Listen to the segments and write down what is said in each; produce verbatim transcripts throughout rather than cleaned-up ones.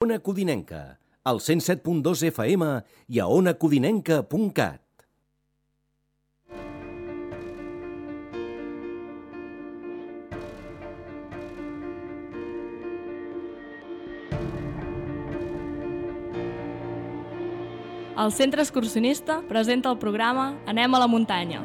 Ona Codinenca, al cent set punt dos F M i a ona codinenca punt cat. El Centre Excursionista presenta el programa Anem a la muntanya.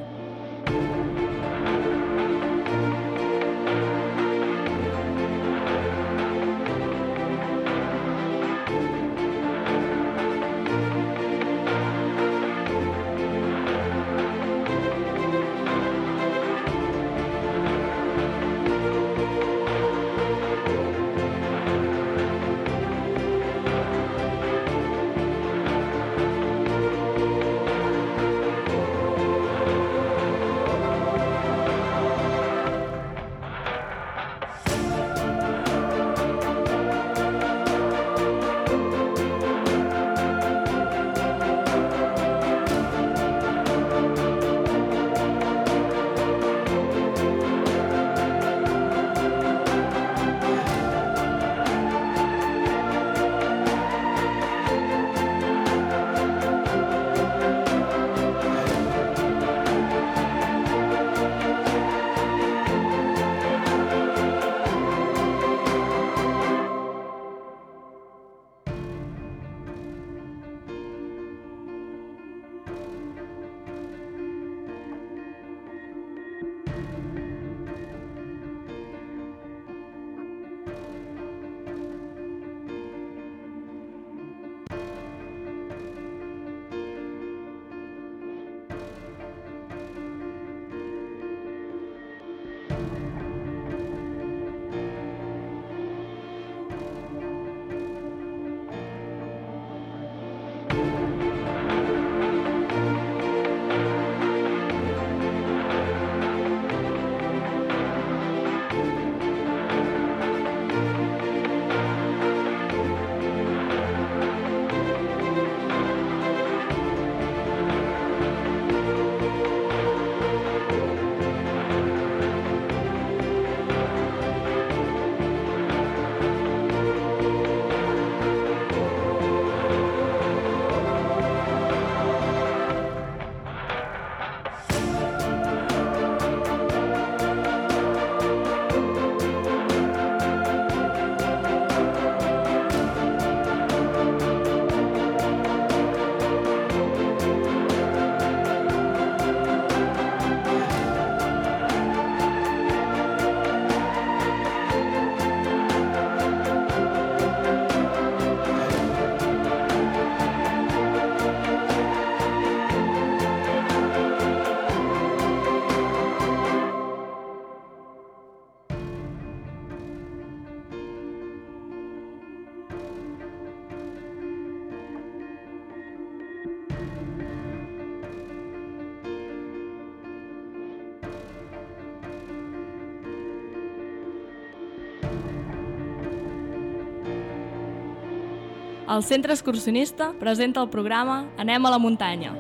El Centre Excursionista presenta el programa Anem a la muntanya.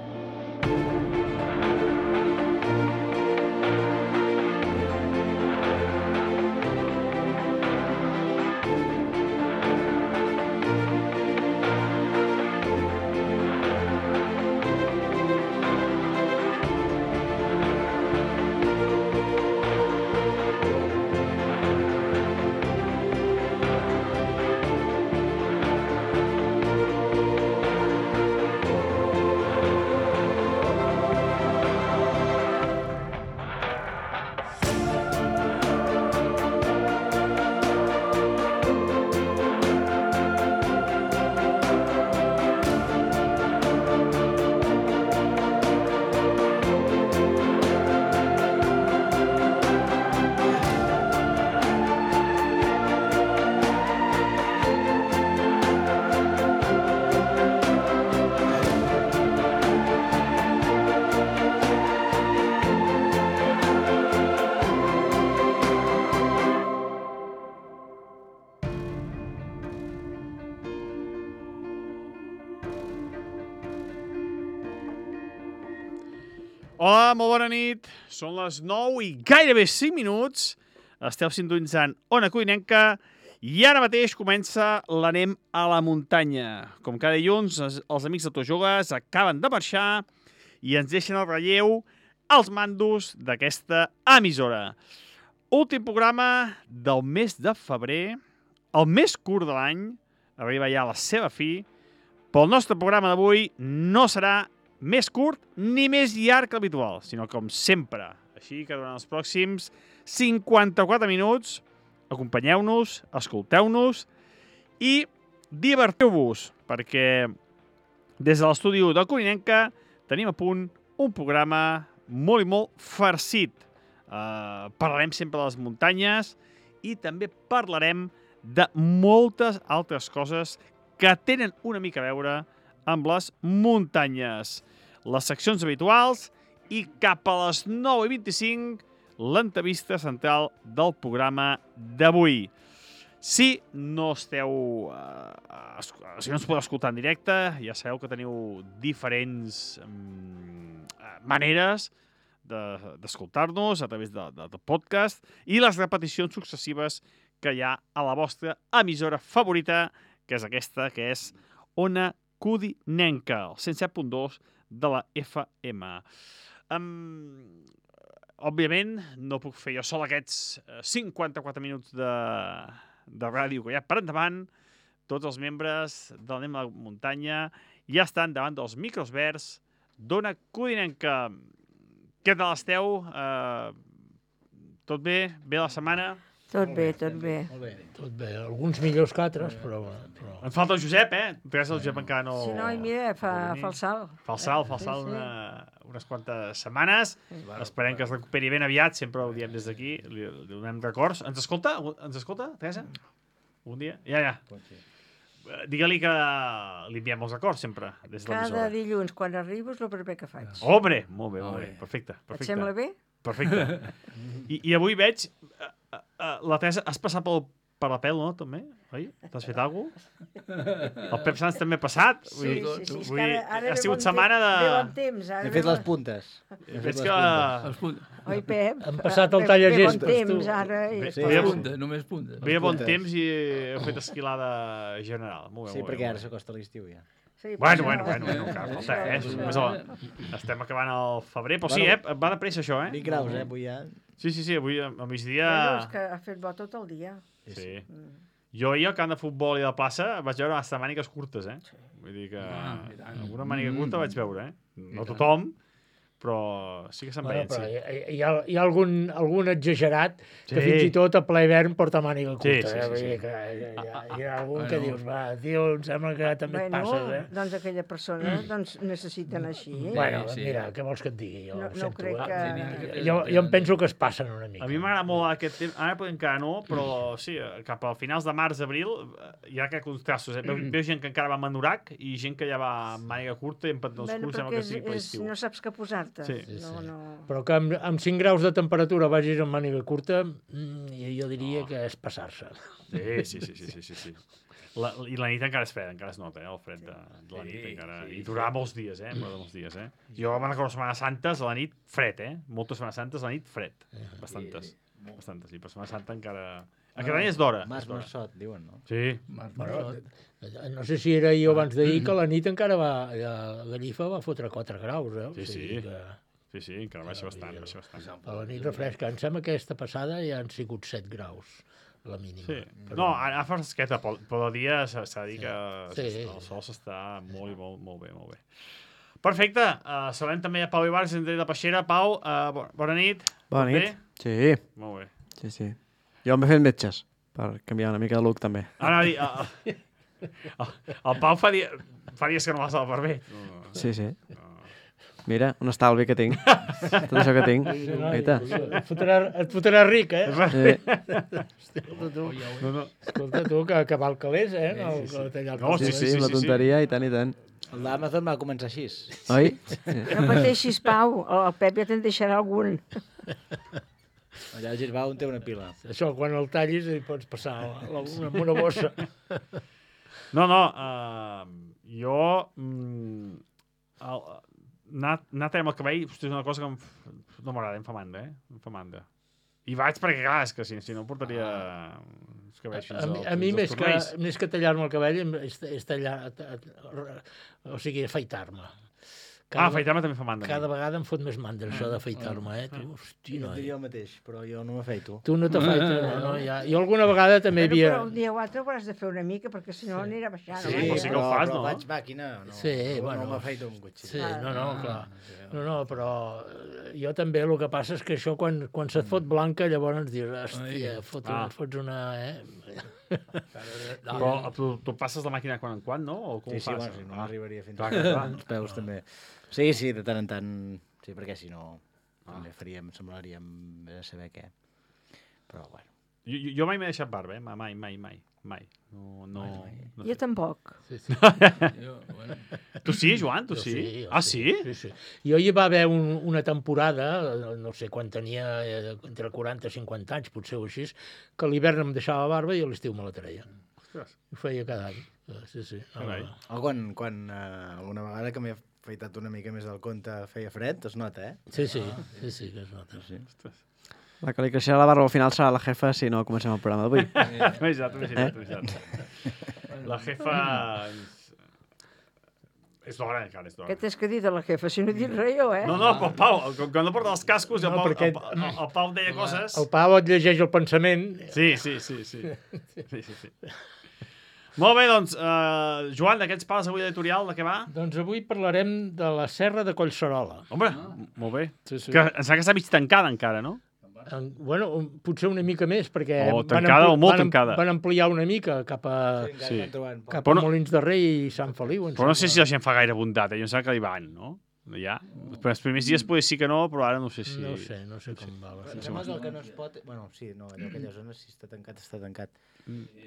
Hola, molt bona nit. Són les nou i gairebé cinc minuts. Esteu sintonitzant Ona Codinenca I ara mateix comença l'Anem a la muntanya. Com cada dilluns, els amics d'autojogues acaben de marxar i ens deixen el relleu als mandos d'aquesta emissora. Últim programa del mes de febrer, el més curt de l'any, arriba ja a la seva fi, però el nostre programa d'avui no serà més curt ni més llarg que l'habitual, sinó com sempre. Així que durant els pròxims cinquanta-quatre minuts acompanyeu-nos, escolteu-nos i divertiu-vos, perquè des de l'estudi de Codinenca tenim a punt un programa molt i molt farcit. Uh, parlarem sempre de les muntanyes i també parlarem de moltes altres coses que tenen una mica a veure amb les muntanyes. Les seccions habituals i cap a les nou i vint-i-cinc l'entrevista central del programa d'avui. Si no esteu... Uh, si no ens podeu escoltar en directe, ja sabeu que teniu diferents um, maneres d'escoltar-nos a través de, de, de podcast i les repeticions successives que hi ha a la vostra emissora favorita, que és aquesta, que és Ona Codinenca, el cent set punt dos de la F M. Um, òbviament, no puc fer jo sol aquests cinquanta-quatre minuts de, de ràdio que hi ha per endavant. Tots els membres de l'Anem a la muntanya ja estan davant dels micros verds d'Ona Codinenca. Què tal esteu? Uh, tot bé? Bé la setmana? Tot bé, tot bé. Molt bé, tot bé. Alguns millors que altres, però... però... Ens falta el Josep, eh? Teresa, el Josep encara no... Si no, i mira, fa, fa el salt. Fa el salt, fa el salt una, unes quantes setmanes. Sí. Esperem que es recuperi ben aviat, sempre ho diem des d'aquí, li, li donem records. Ens escolta? Ens escolta, Teresa? Un dia? Ja, ja. Digue-li que li enviem els acords sempre, des de l'emissora. Cada dilluns, quan arribo, és el primer que faig. Hombre! Molt bé, molt bé. Perfecte, perfecte. Et sembla bé? Perfecte. I, i avui veig... Uh, uh, uh, la Teresa, has passat pel, per la pèl, no, també? Oi? T'has fet alguna cosa? El Pep Sans també ha passat? Sí, sí, sí. sí. Vull, Ara, ara ha sigut setmana de... Ve bon temps. Ara He fet les puntes. Veig que... Oi, Pep? Han passat el tallagestos, tu. Ve bon temps, ara. Ve, Sí, ve, punta, només punta. ve bon temps i heu fet esquilada general. Molt bé, Sí, molt bé, perquè ara molt bé. s'acosta l'estiu ja. Sí, Bueno, però bueno, això- bueno, no cal faltar, eh? això- Només el... Estem acabant el febrer, però sí, Bueno. eh? Va de pressa, això, eh? vint graus, eh, avui ja. Sí, sí, sí, avui al migdia... Bueno, és que ha fet bo tot el dia. Sí. Mm. Jo ahir al camp de futbol i de plaça vaig veure hasta mànigues curtes, eh? Vull dir que Ah, alguna màniga curta vaig veure, eh? No tothom, però sí que se'n Bueno, veien, però sí. hi, hi ha, hi ha algun, algun exagerat que Sí. fins i tot a ple hivern porta màniga curta. Sí, sí, eh? sí, Vull sí. dir que hi, hi, ha, hi ha algun Bueno. que dius, va, tio, em sembla que també et Bueno, passes, eh? doncs aquella persona doncs, necessiten així. Eh? Bueno, sí. mira, què vols que et digui? Jo No- ho no sento, crec eh? que- Jo, jo em penso que es passen una mica. A mi m'agrada molt aquest temps, ara encara no, però sí, cap a finals de març, abril, hi ha que contrastos, eh? Veu, veu gent que encara va amb anorac i gent que ja va amb màniga curta i amb pantalons Bueno, curts, sembla perquè que és, sigui per és, l'estiu. no saps què posar-te. Sí. Sí, No, sí. no. Però que amb, amb cinc graus de temperatura vagis amb màniga curta, mm, jo diria Oh. que és passar-se. Sí, sí, sí, sí, sí, sí, sí. La, I la nit encara és fred, encara es nota, eh, el fred de, de la nit Sí, encara. sí, I durarà molts dies, eh, durarà molts dies, eh. Jo me'n recordo Setmanes Santes, a la nit, fred, eh. Moltes Setmanes Santes, a la nit, fred. Bastantes. Bastantes, i per Setmana Santa encara... Aquest any és d'hora. Mas és d'hora. Marsot, diuen, no? Sí. Bueno, no sé si era ahir o abans d'ahir que la nit encara va... A Gallifa va fotre quatre graus, eh? O Sí, sigui sí. Que Sí, sí, encara baixa bastant, baixa bastant. a la nit refresca. Em sembla que aquesta passada ja han sigut set graus, la mínima. Sí. No, ara fa fresqueta, però, però de dia s'ha s'ha de dir que Sí. sí. el sol s'està molt, i molt, molt bé, molt bé. Perfecte. Uh, saludem també a Pau Ibarz, de Peixera. Pau, uh, bona, bona nit. Bona Tot nit. bé? Sí, Molt bé. sí, sí. Jo m'he fet metges, per canviar una mica de look, també. Ara, dir, uh, uh, el Pau fa, dia, fa dies que no vas al barber. No, Sí, sí. Mira, un estalvi que tinc. Tot això que tinc. Mira. Et fotrà, et fotrà ric, eh? Sí. Escolta tu, no, no. escolta tu que, que val calés, eh? No, sí, sí. que tallar No, Sí, sí, sí, la tonteria i tant i tant. El d'Amazon va començar així. Oi? No pateixis, Pau, el Pep ja te'n deixarà algun. Allà al Girbau on té una pila. Això, quan el tallis, hi pots passar la, la, una, amb una bossa. No, no, uh, jo... Mm, el, anar, anar a tallar amb el cabell, hosti, és una cosa que em, f- no m'agrada, em fa mandra, eh? Em fa mandra. I vaig perquè, clar, és que si, si no portaria els cabells fins A, mi- al- a mi, fins als més que, turmells. més que tallar-me el cabell, és, és tallar... O sigui, afaitar-me. Ah, afaitar-me també fa mandra. Cada vegada em fot més mandra, això d'afaitar-me, eh? Tu, hosti, Jo noi. diria el mateix, però jo no m'afeito. Tu no t'afaites, no, no, ja. Jo alguna vegada també Però, havia... però un dia o altre ho hauràs de fer una mica, perquè si no anirà baixant. Sí, home. però sí que ho però, fas, però no? faig màquina, no, Sí, no, bueno. no m'afeito amb cotxe. Sí, no, no, clar. No, no, però eh, jo també el que passa és que això quan, quan se't fot blanca llavors dius, hòstia, fot, Ah. fots una... Eh? Però tu, tu passes la màquina quan en quan, no? O com Sí, ho sí, fas? bueno, si no Ah. arribaria fins Clar, a clar, clar. els peus també. Sí, sí, de tant en tant, sí, perquè si no també faríem, semblaríem a saber què. Però bueno. Jo, jo- jo mai m'he deixat barba, eh? Mai, mai, mai. Mai. No, no, no Jo sé. tampoc. Sí, sí. Tu sí, Joan? Tu Jo sí? jo Ah, sí? Sí, sí. Jo hi va haver un, una temporada, no sé quan tenia, eh, entre quaranta i cinquanta anys, potser o així, que a l'hivern em deixava barba i a l'estiu me la treia. Ostres. Ho feia cada any. Eh, Sí, sí. Carai. O quan, quan uh, alguna vegada que m'he afeitat una mica més del compte feia fred, es nota, eh? Sí, sí, sí, sí, que es nota. Sí. Ostres. La que li creixerà la barba al final serà la jefa si no comencem el programa d'avui. M'he deixat, m'he deixat, m'he deixat. La jefa... És d'hora, encara, és d'hora. Què t'has que dir de la jefa? Si no he dit res jo, eh? No, no, però el Pau, quan quan no porta els cascos, el No, Pau, perquè- el, el, el Pau deia coses... El Pau et llegeix el pensament. Sí, sí, sí, sí. sí, sí, sí. Molt bé, doncs, uh, Joan, d'aquests pals avui editorial, de què va? Doncs avui parlarem de la Serra de Collserola. Home, molt bé. Sí, sí. Que em sembla que està mig tancada encara, no? En, bueno, un- potser una mica més, perquè O van tancada ampli- o molt van, am- tancada. van ampliar una mica cap a, encara Sí. estan trobant poc. cap Però a no- Molins de Rei i Sant Feliu. em Però no sé si sembla. la gent fa gaire bondat, eh? Jo em sembla que hi van, no? Ja. Però els primers dies potser sí que no, però ara no sé si... No sé, no sé com va. La Em sembla que el que no es pot... Bueno, sí, no, allò, aquella zona, si està tancat, està tancat.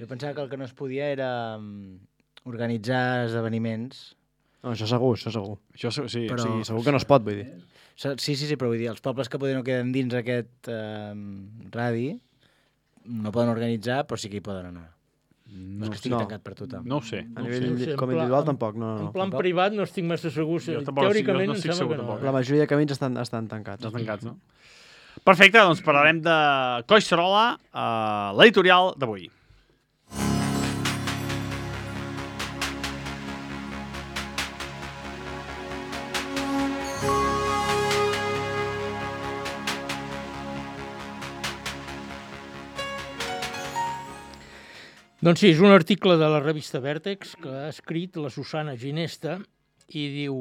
Jo pensava que el que no es podia era mm, organitzar esdeveniments. No, això segur, això segur. Això sí, sí. Però... sí. Sí, segur que no es pot, vull dir. So- Sí, sí, sí, però vull dir, els pobles que poden no queden dins aquest eh, radi no poden organitzar, però sí que hi poden anar. No, és que estigui no. tancat per tothom. No ho sé. A No nivell sé, no sé, en com pla- individual en- tampoc, no, no. En no. plan privat no estic massa segur. Jo tampoc no estic- Teòricament no em estic sembla segur que no. tampoc. La majoria de camins estan, estan tancats. Estan tancats, no? Perfecte, doncs parlarem de Collserola, uh, l'editorial d'avui. Doncs sí, és un article de la revista Vèrtex que ha escrit la Susana Ginesta i diu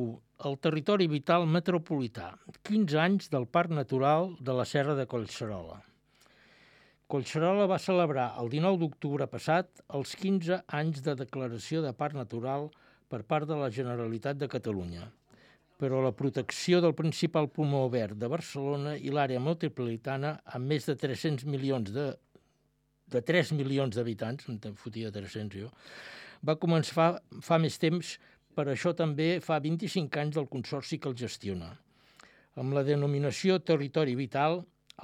el territori vital metropolità, quinze anys del Parc Natural de la Serra de Collserola. Collserola va celebrar el dinou d'octubre passat els quinze anys de declaració de Parc Natural per part de la Generalitat de Catalunya. Però la protecció del principal pulmó verd de Barcelona i l'àrea metropolitana amb més de tres-cents milions de de tres milions d'habitants, em fotia tres-cents jo, va començar fa, fa més temps, per això també fa vint-i-cinc anys del consorci que el gestiona. Amb la denominació Territori Vital,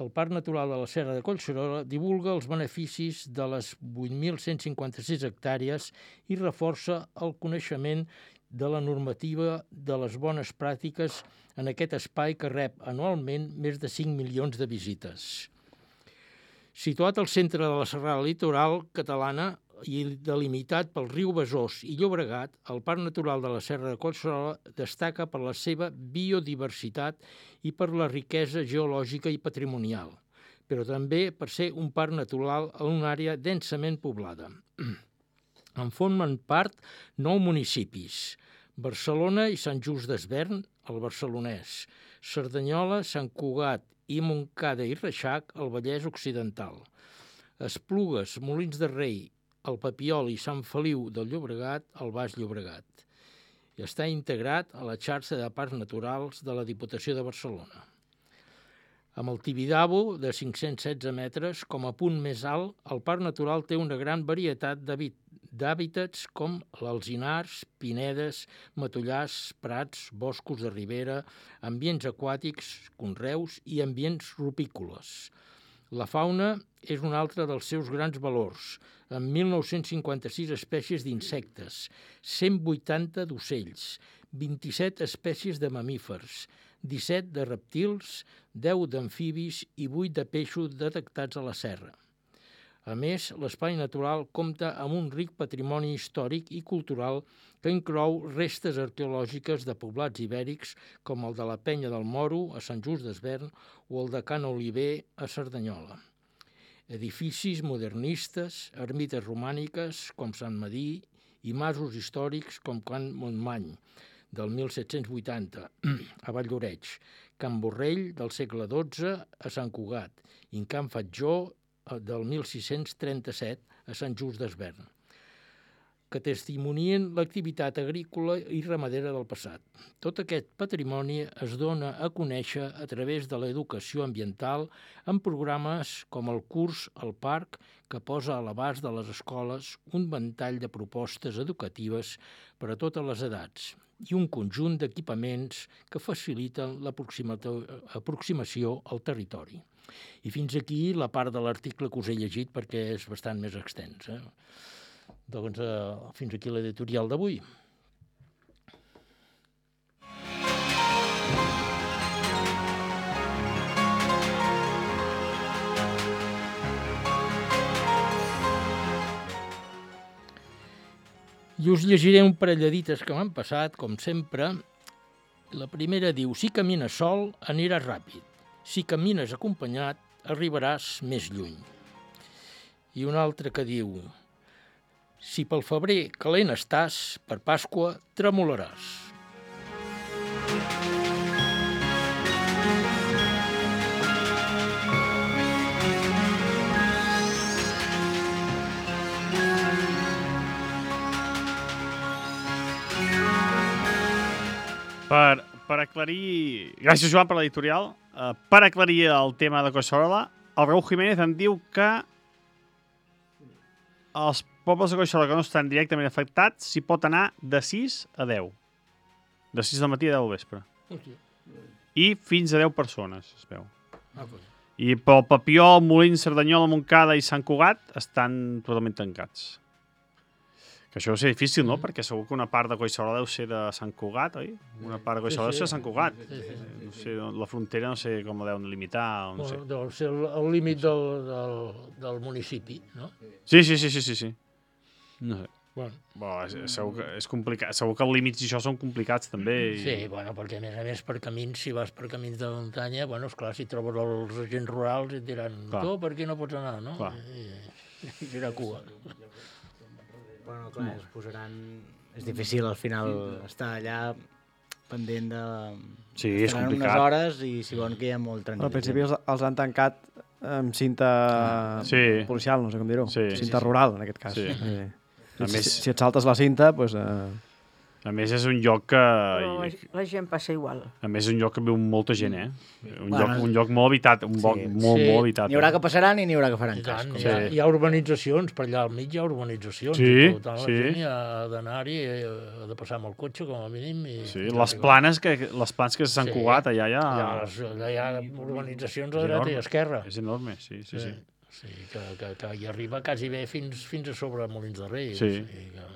el Parc Natural de la Serra de Collserola divulga els beneficis de les vuit mil cent cinquanta-sis hectàrees i reforça el coneixement de la normativa de les bones pràctiques en aquest espai que rep anualment més de cinc milions de visites. Situat al centre de la serrada litoral catalana i delimitat pel riu Besòs i Llobregat, el Parc Natural de la Serra de Collserola destaca per la seva biodiversitat i per la riquesa geològica i patrimonial, però també per ser un parc natural en una àrea densament poblada. En formen part nou municipis: Barcelona i Sant Just Desvern, el barcelonès, Cerdanyola, Sant Cugat i Montcada i Reixac, al Vallès Occidental. Esplugues, Molins de Rei, el Papiol i Sant Feliu del Llobregat, al Baix Llobregat. I està integrat a la xarxa de parcs naturals de la Diputació de Barcelona. Amb el Tibidabo, de cinc-cents setze metres, com a punt més alt, el parc natural té una gran varietat d'hàbit- d'hàbitats com l'alzinars, pinedes, matollars, prats, boscos de ribera, ambients aquàtics, conreus i ambients rupícoles. La fauna és un altre dels seus grans valors, amb mil nou-cents cinquanta-sis espècies d'insectes, cent vuitanta d'ocells, vint-i-set espècies de mamífers, disset de reptils, deu d'amfibis i vuit de peixos detectats a la serra. A més, l'espai natural compta amb un ric patrimoni històric i cultural que inclou restes arqueològiques de poblats ibèrics com el de la Penya del Moro, a Sant Just Desvern, o el de Can Oliver, a Cerdanyola. Edificis modernistes, ermites romàniques com Sant Madí i masos històrics com Can Montmany, del mil set-cents vuitanta, a Valldoreix, Can Borrell, del segle dotze, a Sant Cugat, i Can Fatjó, del mil sis-cents trenta-set, a Sant Just Desvern, que testimonien l'activitat agrícola i ramadera del passat. Tot aquest patrimoni es dona a conèixer a través de l'educació ambiental en programes com el curs al Parc, que posa a l'abast de les escoles un ventall de propostes educatives per a totes les edats i un conjunt d'equipaments que faciliten l'aproximació al territori. I fins aquí la part de l'article que us he llegit perquè és bastant més extens. Eh? Doncs eh, fins aquí l'editorial d'avui. I us llegiré un parell de dites que m'han passat, com sempre. La primera diu: si camines sol, aniràs ràpid. Si camines acompanyat, arribaràs més lluny. I una altra que diu: si pel febrer calent estàs, per Pasqua tremolaràs. Per, per aclarir... Gràcies, Joan, per l'editorial. Uh, per aclarir el tema de Collserola, el Raúl Jiménez em diu que els pobles de Collserola que no estan directament afectats s'hi pot anar de sis a deu. De sis del matí a deu del vespre. Hòstia. I fins a deu persones, es veu. Ah, pues. I pel Papiol, Molins, Cerdanyola, Montcada i Sant Cugat estan totalment tancats. Que això deu ser difícil, no? Perquè segur que una part de Collserola deu ser de Sant Cugat, oi? Una part de Collserola deu ser de Sant Cugat. Sí, sí. No sé, la frontera no sé com la deuen limitar, no sé. Bueno, deu ser el, el límit del, del, del municipi, no? Sí, sí, sí, sí, sí, sí. No sé. Bueno. Bueno, és, segur que és complicat. Segur que els límits i això són complicats també. I... Sí, bueno, perquè a més a més per camins, si vas per camins de muntanya, bueno, esclar, si trobes els agents rurals et diran, Clar. tu per aquí no pots anar, no? Clar. I, i serà cua. Bueno, clar, es posaran... És difícil al final estar allà pendent de... Sí, és Estaran complicat. unes hores i si volen que hi ha molt trànsit. Al principi els, els han tancat amb cinta Sí. policial, no sé com dir-ho. Sí. Cinta Sí, sí. rural, en aquest cas. Sí. Eh, A si, més- si et saltes la cinta, doncs... Eh, A més, és un lloc que... Però la, la gent passa igual. A més, és un lloc que viu molta gent, eh? Un, Bueno, lloc, un lloc molt habitat, un lloc sí. molt, Sí. molt habitat. N'hi haurà que passaran i n'hi haurà que faran I cas. tant, com hi ha, Sí. hi ha urbanitzacions, per allà al mig hi ha urbanitzacions. Sí, i per tant, la sí. gent hi ha d'anar-hi, eh, ha de passar amb el cotxe, com a mínim. I Sí, les planes que, les planes que s'han Sí. Cugat, allà hi ha... Allà, les, allà hi ha urbanitzacions a És dreta enorme. i a esquerra. És enorme, sí, sí, sí. Sí, que, que, que hi arriba quasi bé fins, fins a sobre Molins de Rei. Sí. O sigui que...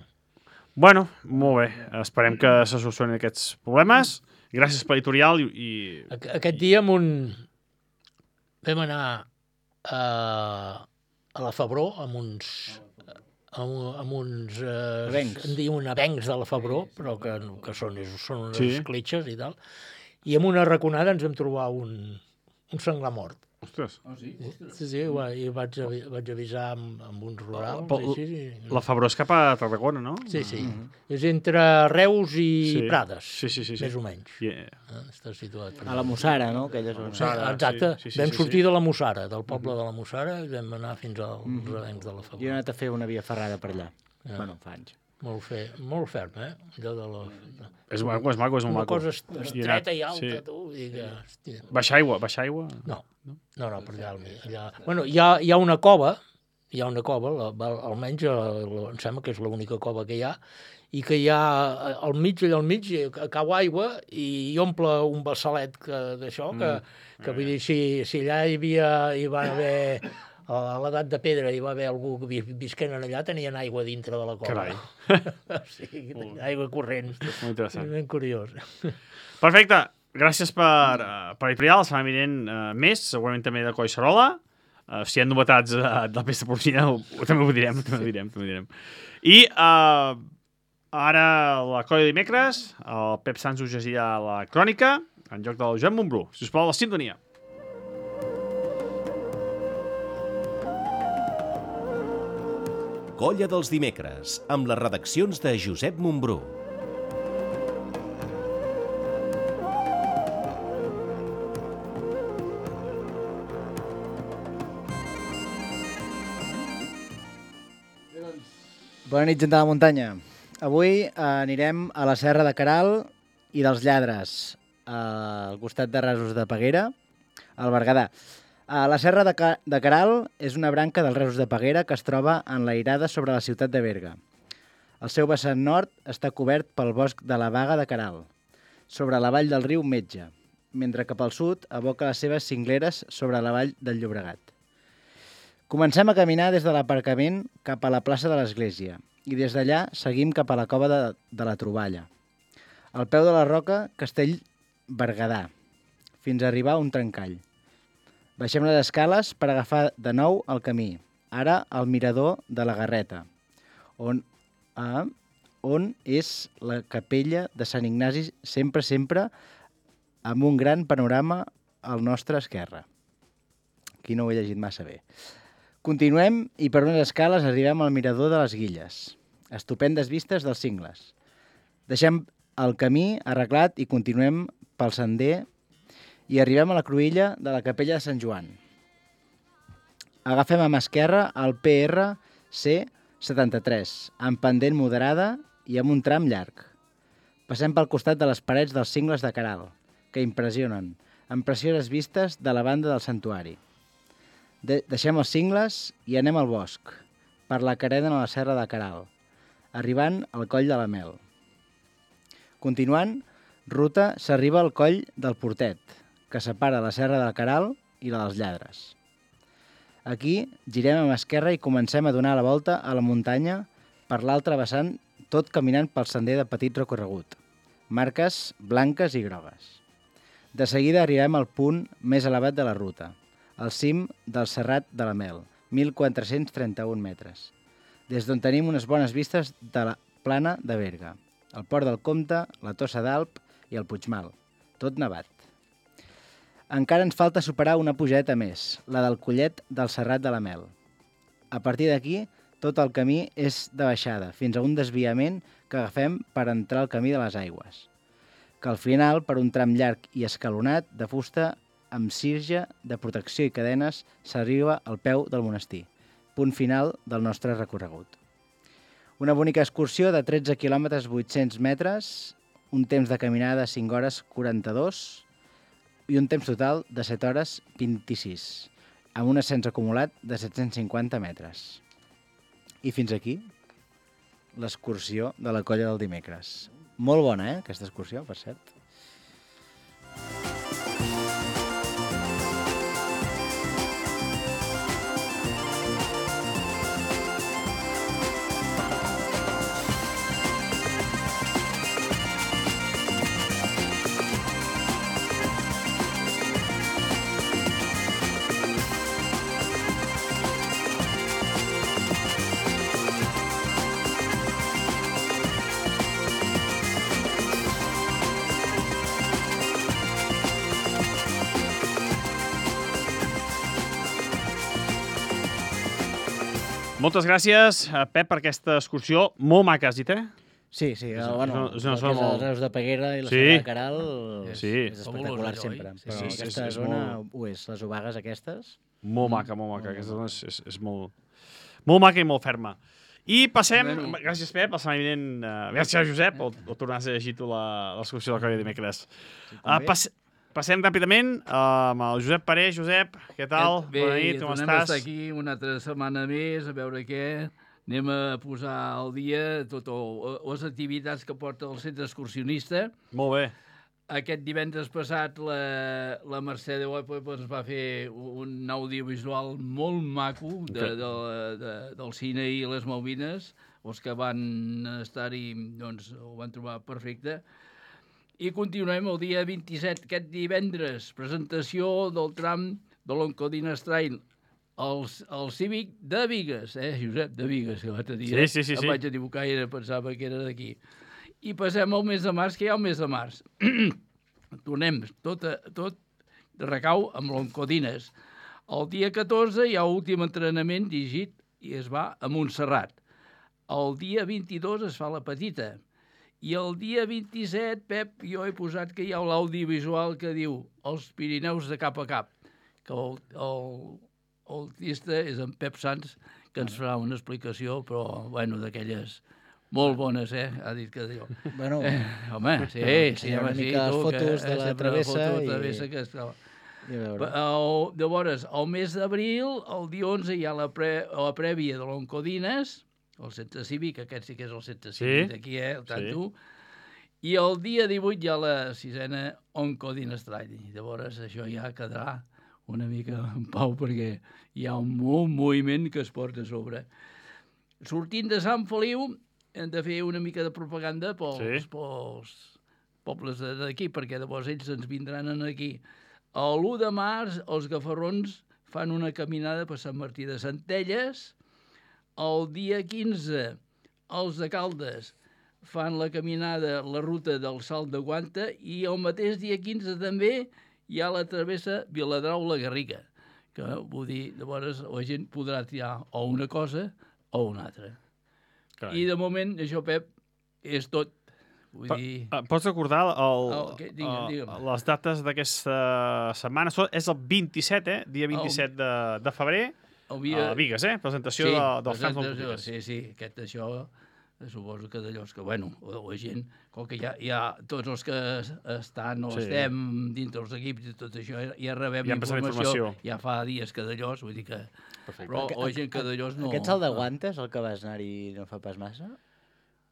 Bueno, molt bé. Esperem que se solucionin aquests problemes. Gràcies per l'editorial i... i... Aqu- Aquest dia amb un... vam anar a, a la Febró amb uns... amb, amb uns... Eh, Avencs. en diuen avencs de la Febró, però que, que són, són unes Sí. cletxes i tal. I amb una raconada ens vam trobar un, un senglar mort. Ostres, Sí, sí, va- i vaig, avi- vaig avisar amb, amb uns rurals. Però- i així, i... la Febró és cap a Tarragona, no? Sí, sí. És entre Reus i Sí. Prades, Sí, sí, sí, sí. més o menys. Yeah. Eh? Està situat per A la Mussara, no? Aquella zona. Sí, Mussara, exacte. sí, sí, sí, vam sí, sortir sí. de la Mussara, del poble de la Mussara, i vam anar fins als avencs de la Jo he Febró. anat a fer una via ferrada per allà. Ja. Bueno, fa anys. Molt, fe, molt ferm, eh? Allò de la... És maco, és maco, és molt Una maco. cosa est- Hi he estreta anat, i alta, sí. tu, i que... Hòstia. Baixa aigua, baixa aigua. No, no, no, per allà al mig. Allà... Bueno, hi ha, hi ha una cova, hi ha una cova, la, va- almenys la, la, em sembla que és l'única cova que hi ha, i que hi ha eh, al mig, allà al mig, eh, cau aigua i hi omple un bassalet que- d'això, que, que vull dir, si, si allà hi havia, hi va haver, a l'edat de pedra hi va haver algú que vi- visquent allà, tenien aigua dintre de la cova. Carai. Sí, aigua corrent. Molt interessant. Ben curiós. Perfecte. gràcies per, uh, per editorial, la setmana vinent uh, més, segurament també de Collserola. Uh, si hi ha novetats uh, de la pesta porcina, ho, ho, també ho direm, també ho direm, també ho direm. I uh, ara la colla de dimecres, el Pep Sans us llegirà la crònica, en joc del Joan Montbrú. Si us plau, la sintonia. Colla dels dimecres, amb les redaccions de Josep Montbrú. Bona nit, gent de la muntanya. Avui eh, anirem a la Serra de Queralt i dels Lladres, eh, al costat de Rasos de Peguera, al Berguedà. Eh, la Serra de, Ca de Queralt és una branca dels Rasos de Peguera que es troba enlairada sobre la ciutat de Berga. El seu vessant nord està cobert pel bosc de la Baga de Queralt, sobre la vall del riu Metge, mentre que pel sud aboca les seves cingleres sobre la vall del Llobregat. Comencem a caminar des de l'aparcament cap a la plaça de l'Església i des d'allà seguim cap a la cova de, de la Troballa. Al peu de la roca, Castell Berguedà, fins a arribar a un trencall. Baixem les escales per agafar de nou el camí, ara al mirador de la Garreta, on, eh, on és la capella de Sant Ignasi, sempre, sempre, amb un gran panorama al nostre esquerra. Aquí no ho he llegit massa bé. Continuem i per unes escales arribem al mirador de les Guilles. Estupendes vistes dels cingles. Deixem el camí arreglat i continuem pel sender i arribem a la cruïlla de la capella de Sant Joan. Agafem a mà esquerra el P R C setanta-tres, amb pendent moderada i amb un tram llarg. Passem pel costat de les parets dels cingles de Queralt, que impressionen, amb precioses vistes de la banda del santuari. De deixem els cingles i anem al bosc, per la carena a la serra de Queralt, arribant al coll de la Mel. Continuant, ruta s'arriba al coll del Portet, que separa la serra de Queralt i la dels Lladres. Aquí girem a mà esquerra i comencem a donar la volta a la muntanya per l'altre vessant, tot caminant pel sender de petit recorregut, marques blanques i grogues. De seguida arribem al punt més elevat de la ruta, al cim del Serrat de la Mel, mil quatre-cents trenta-un metres, des d'on tenim unes bones vistes de la plana de Berga, el Port del Comte, la Tossa d'Alp i el Puigmal, tot nevat. Encara ens falta superar una pujeta més, la del Collet del Serrat de la Mel. A partir d'aquí, tot el camí és de baixada, fins a un desviament que agafem per entrar al camí de les aigües, que al final, per un tram llarg i escalonat de fusta, amb sirge de protecció i cadenes, s'arriba al peu del monestir, punt final del nostre recorregut. Una bonica excursió de tretze quilòmetres vuit-cents metres, un temps de caminada de cinc hores quaranta-dos i un temps total de set hores vint-i-sis, amb un ascens acumulat de set-cents cinquanta metres. I fins aquí l'excursió de la colla del dimecres. Molt bona, eh, aquesta excursió, per cert. Moltes gràcies, Pep, per aquesta excursió. Molt maca, has dit, eh? Sí, sí. És- Bueno, és una el zona que és molt- els Reus de Peguera i la Sí. Serra de Queralt Sí. és espectacular Fabulosa, sempre. oi? Sí, Però sí, és- aquesta és zona molt- ho és. Les obagues aquestes... Molt maca, molt maca. Aquesta zona és, és, és molt, molt maca i molt ferma. I passem, Bueno. gràcies, Pep, la setmana vinent, uh, gràcies, Josep, o, o tornaràs a llegir tu la- l'excursió del colla de dimecres. Uh, pas, passem ràpidament uh, amb el Josep Paré. Josep, què tal? Bé, Bona nit, com tornem a estàs? estar aquí una altra setmana més, a veure què. Anem a posar al dia totes les activitats que porta el centre excursionista. Molt bé. Aquest divendres passat la, la Mercè de Oepa ens va fer un audiovisual molt maco de, Que- de, de, del cine i les Malvines. Els que van estar-hi doncs, ho van trobar perfecte. I continuem el dia vint-i-set, aquest divendres, presentació del tram de l'Oncodines Trail, el, el Cívic de Bigues, eh, Josep, de Bigues, que l'altre dia. Sí, sí, sí, sí. Em vaig equivocar i era, pensava que era d'aquí. I passem al mes de març, que hi ha el mes de març. Tornem, tot, tot recau amb l'Oncodines. El dia catorze hi ha últim entrenament dirigit i es va a Montserrat. El dia vint-i-dos es fa la petita. I el dia vint-i-set, Pep, jo he posat que hi ha l'audiovisual que diu Els Pirineus de cap a cap, que el, el, el artista és en Pep Sans, que ens farà una explicació, però, bueno, d'aquelles molt bones, eh? Ha dit que diu. Bueno, eh, home, sí, sí, una home, sí, mica tu, fotos que, de la sempre travessa fotos de i- travessa que es troba. I a veure. El, llavors, el mes d'abril, el dia onze, hi ha la, pre, la prèvia de l'Oncodines, el centre cívic, aquest sí que és el centre cívic Sí, d'aquí, eh, el sí. tanto. I el dia divuit hi ha la sisena Oncodines Trail. Llavors, això ja quedarà una mica en pau, perquè hi ha un molt moviment que es porta a sobre. Sortint de Sant Feliu, hem de fer una mica de propaganda pels, Sí. pels pobles de- d'aquí, perquè llavors ells ens vindran aquí. L'u de març, els gafarrons fan una caminada per Sant Martí de Centelles. El dia quinze, els de Caldes fan la caminada, la ruta del Salt de Guanta, i el mateix dia quinze també hi ha la travessa Viladrau-La Garriga, que vull dir, llavors la gent podrà triar o una cosa o una altra. Carai. I de moment, això, Pep, és tot. Vull Pa- dir... eh, Pots recordar el, Oh, què? Digue'm, el- digue'm. les dates d'aquesta setmana? Són- És el vint-i-set, eh? Dia vint-i-set de, de febrer, Havia... a Bigues, eh? Presentació de, dels camps del presentació, sí, sí, aquest això, suposo que d'allò que, bueno, la, la gent, com que ja, ja tots els que es- estan o Sí. estem dintre els equips i tot això, ja, ja rebem Ja han passat informació, informació. ja fa dies que d'allò, vull dir que... Perfecte. Però la gent que d'allò no... Aquest salt de guantes, el que vas anar-hi no fa pas massa,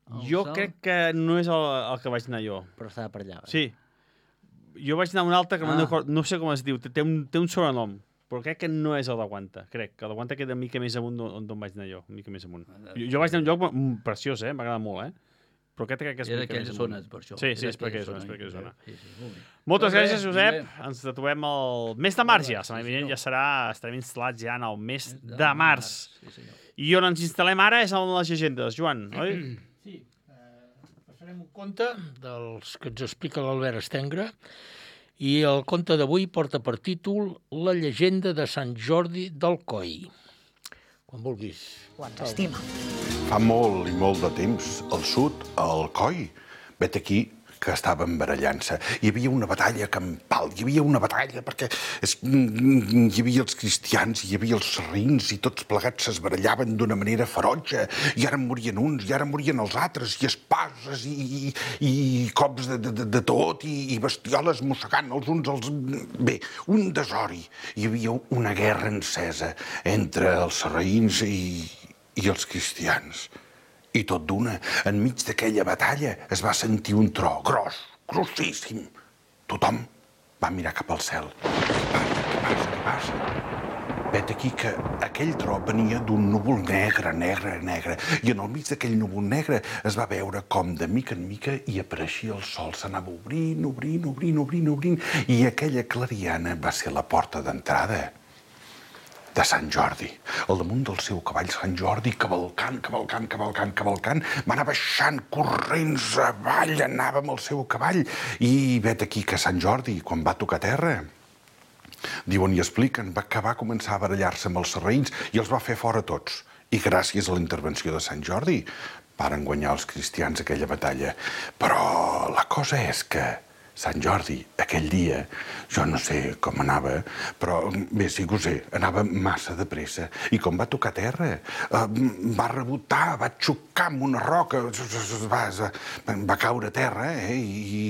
El Jo salt- crec que no és el, el que vaig anar jo. però estava per allà. eh? Sí. Jo vaig anar a un altre que Ah. no, record- no sé com es diu, té, té, un, té un sobrenom, però crec que no és el de Guanta, crec, que el de Guanta queda una mica més amunt d'on d'on vaig anar jo, una mica més amunt. Jo, jo vaig anar a un lloc mm, preciós, eh? M'agrada molt, eh? Però aquest crec que és Era una mica d'aquella més zona, amunt. per això. Sí, sí, Era és per aquella d'aquella zona, és per aquella zona. Sí, sí, molt bé. Moltes Molt bé, gràcies, Josep. Josep. Ens trobem el mes de març ja. Sí, Setmana senyor. vinent ja serà, estarem instal·lats ja en el mes De de març. Sí, senyor. I on ens instal·lem ara és en les llegendes, Joan, oi? Sí, eh, passarem un conte dels que ens explica l'Albert Estengre, i el conte d'avui porta per títol La llegenda de Sant Jordi del Coi. Quan vulguis. Quan s'estima. Fa molt i molt de temps, al sud, al Coi, vet aquí que estaven barallant-se. Hi havia una batalla campal, hi havia una batalla perquè es, hi havia els cristians, hi havia els sarrins i tots plegats es barallaven d'una manera ferotge i ara morien uns i ara morien els altres i espases i, i, i cops de, de, de tot i, i bestioles mossegant els uns als... Bé, un desori. Hi havia una guerra encesa entre els sarraïns i, i els cristians. I tot d'una, enmig d'aquella batalla, es va sentir un tro gros, grossíssim. Tothom va mirar cap al cel. Què passa, què passa, què passa? Vet aquí que aquell tro venia d'un núvol negre, negre, negre, i en el mig d'aquell núvol negre es va veure com de mica en mica hi apareixia el sol. S'anava obrint, obrint, obrint, obrint, obrint, i aquella clariana va ser la porta d'entrada de Sant Jordi. Al damunt del seu cavall Sant Jordi, cavalcant, cavalcant, cavalcant, cavalcant, va anar baixant corrents avall, anava amb el seu cavall. I vet aquí que Sant Jordi, quan va tocar terra, diuen i expliquen, va, que va començar a barallar-se amb els sarraïns i els va fer fora tots. I gràcies a la intervenció de Sant Jordi varen guanyar els cristians aquella batalla. Però la cosa és que Sant Jordi, aquell dia, jo no sé com anava, però bé, sí que ho sé, anava massa de pressa. I com va tocar terra, eh, va rebotar, va xocar amb una roca, va, va caure a terra, eh, i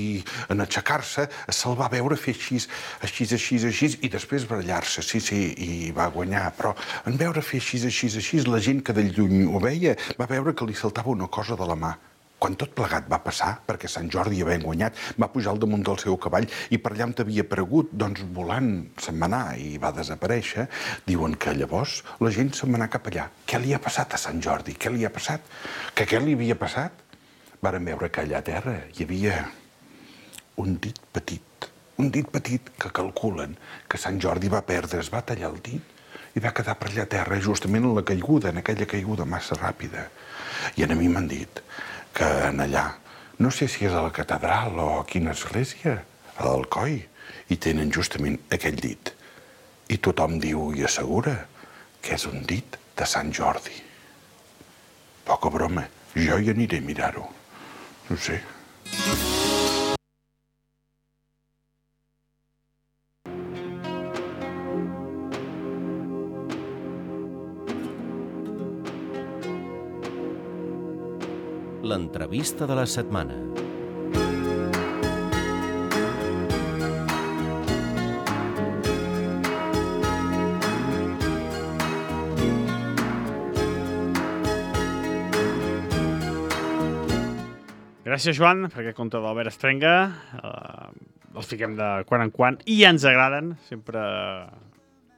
en aixecar-se se'l va veure fer així, així, així, així, i després barallar-se, sí, sí, i va guanyar. Però en veure fer així, així, així, la gent que de lluny ho veia va veure que li saltava una cosa de la mà. Quan tot plegat va passar, perquè Sant Jordi havia guanyat, va pujar al damunt del seu cavall i per allà on havia aparegut, doncs volant se'n va anar i va desaparèixer, diuen que llavors la gent se'n va anar cap allà. Què li ha passat a Sant Jordi? Què li ha passat? Que què li havia passat? Varen veure que allà a terra hi havia un dit petit, un dit petit que calculen que Sant Jordi va perdre, es va tallar el dit i va quedar per allà a terra justament en la caiguda, en aquella caiguda massa ràpida. I a mi m'han dit que en allà, no sé si és a la catedral o a quina església, a l'Alcoi, i tenen justament aquell dit. I tothom diu i assegura que és un dit de Sant Jordi. Poca broma, jo hi aniré a mirar-ho. No sé. L'entrevista de la setmana. Gràcies, Joan, per aquest conte d'Albert Estrenga. Uh, els fiquem de quan en quan i ens agraden. Sempre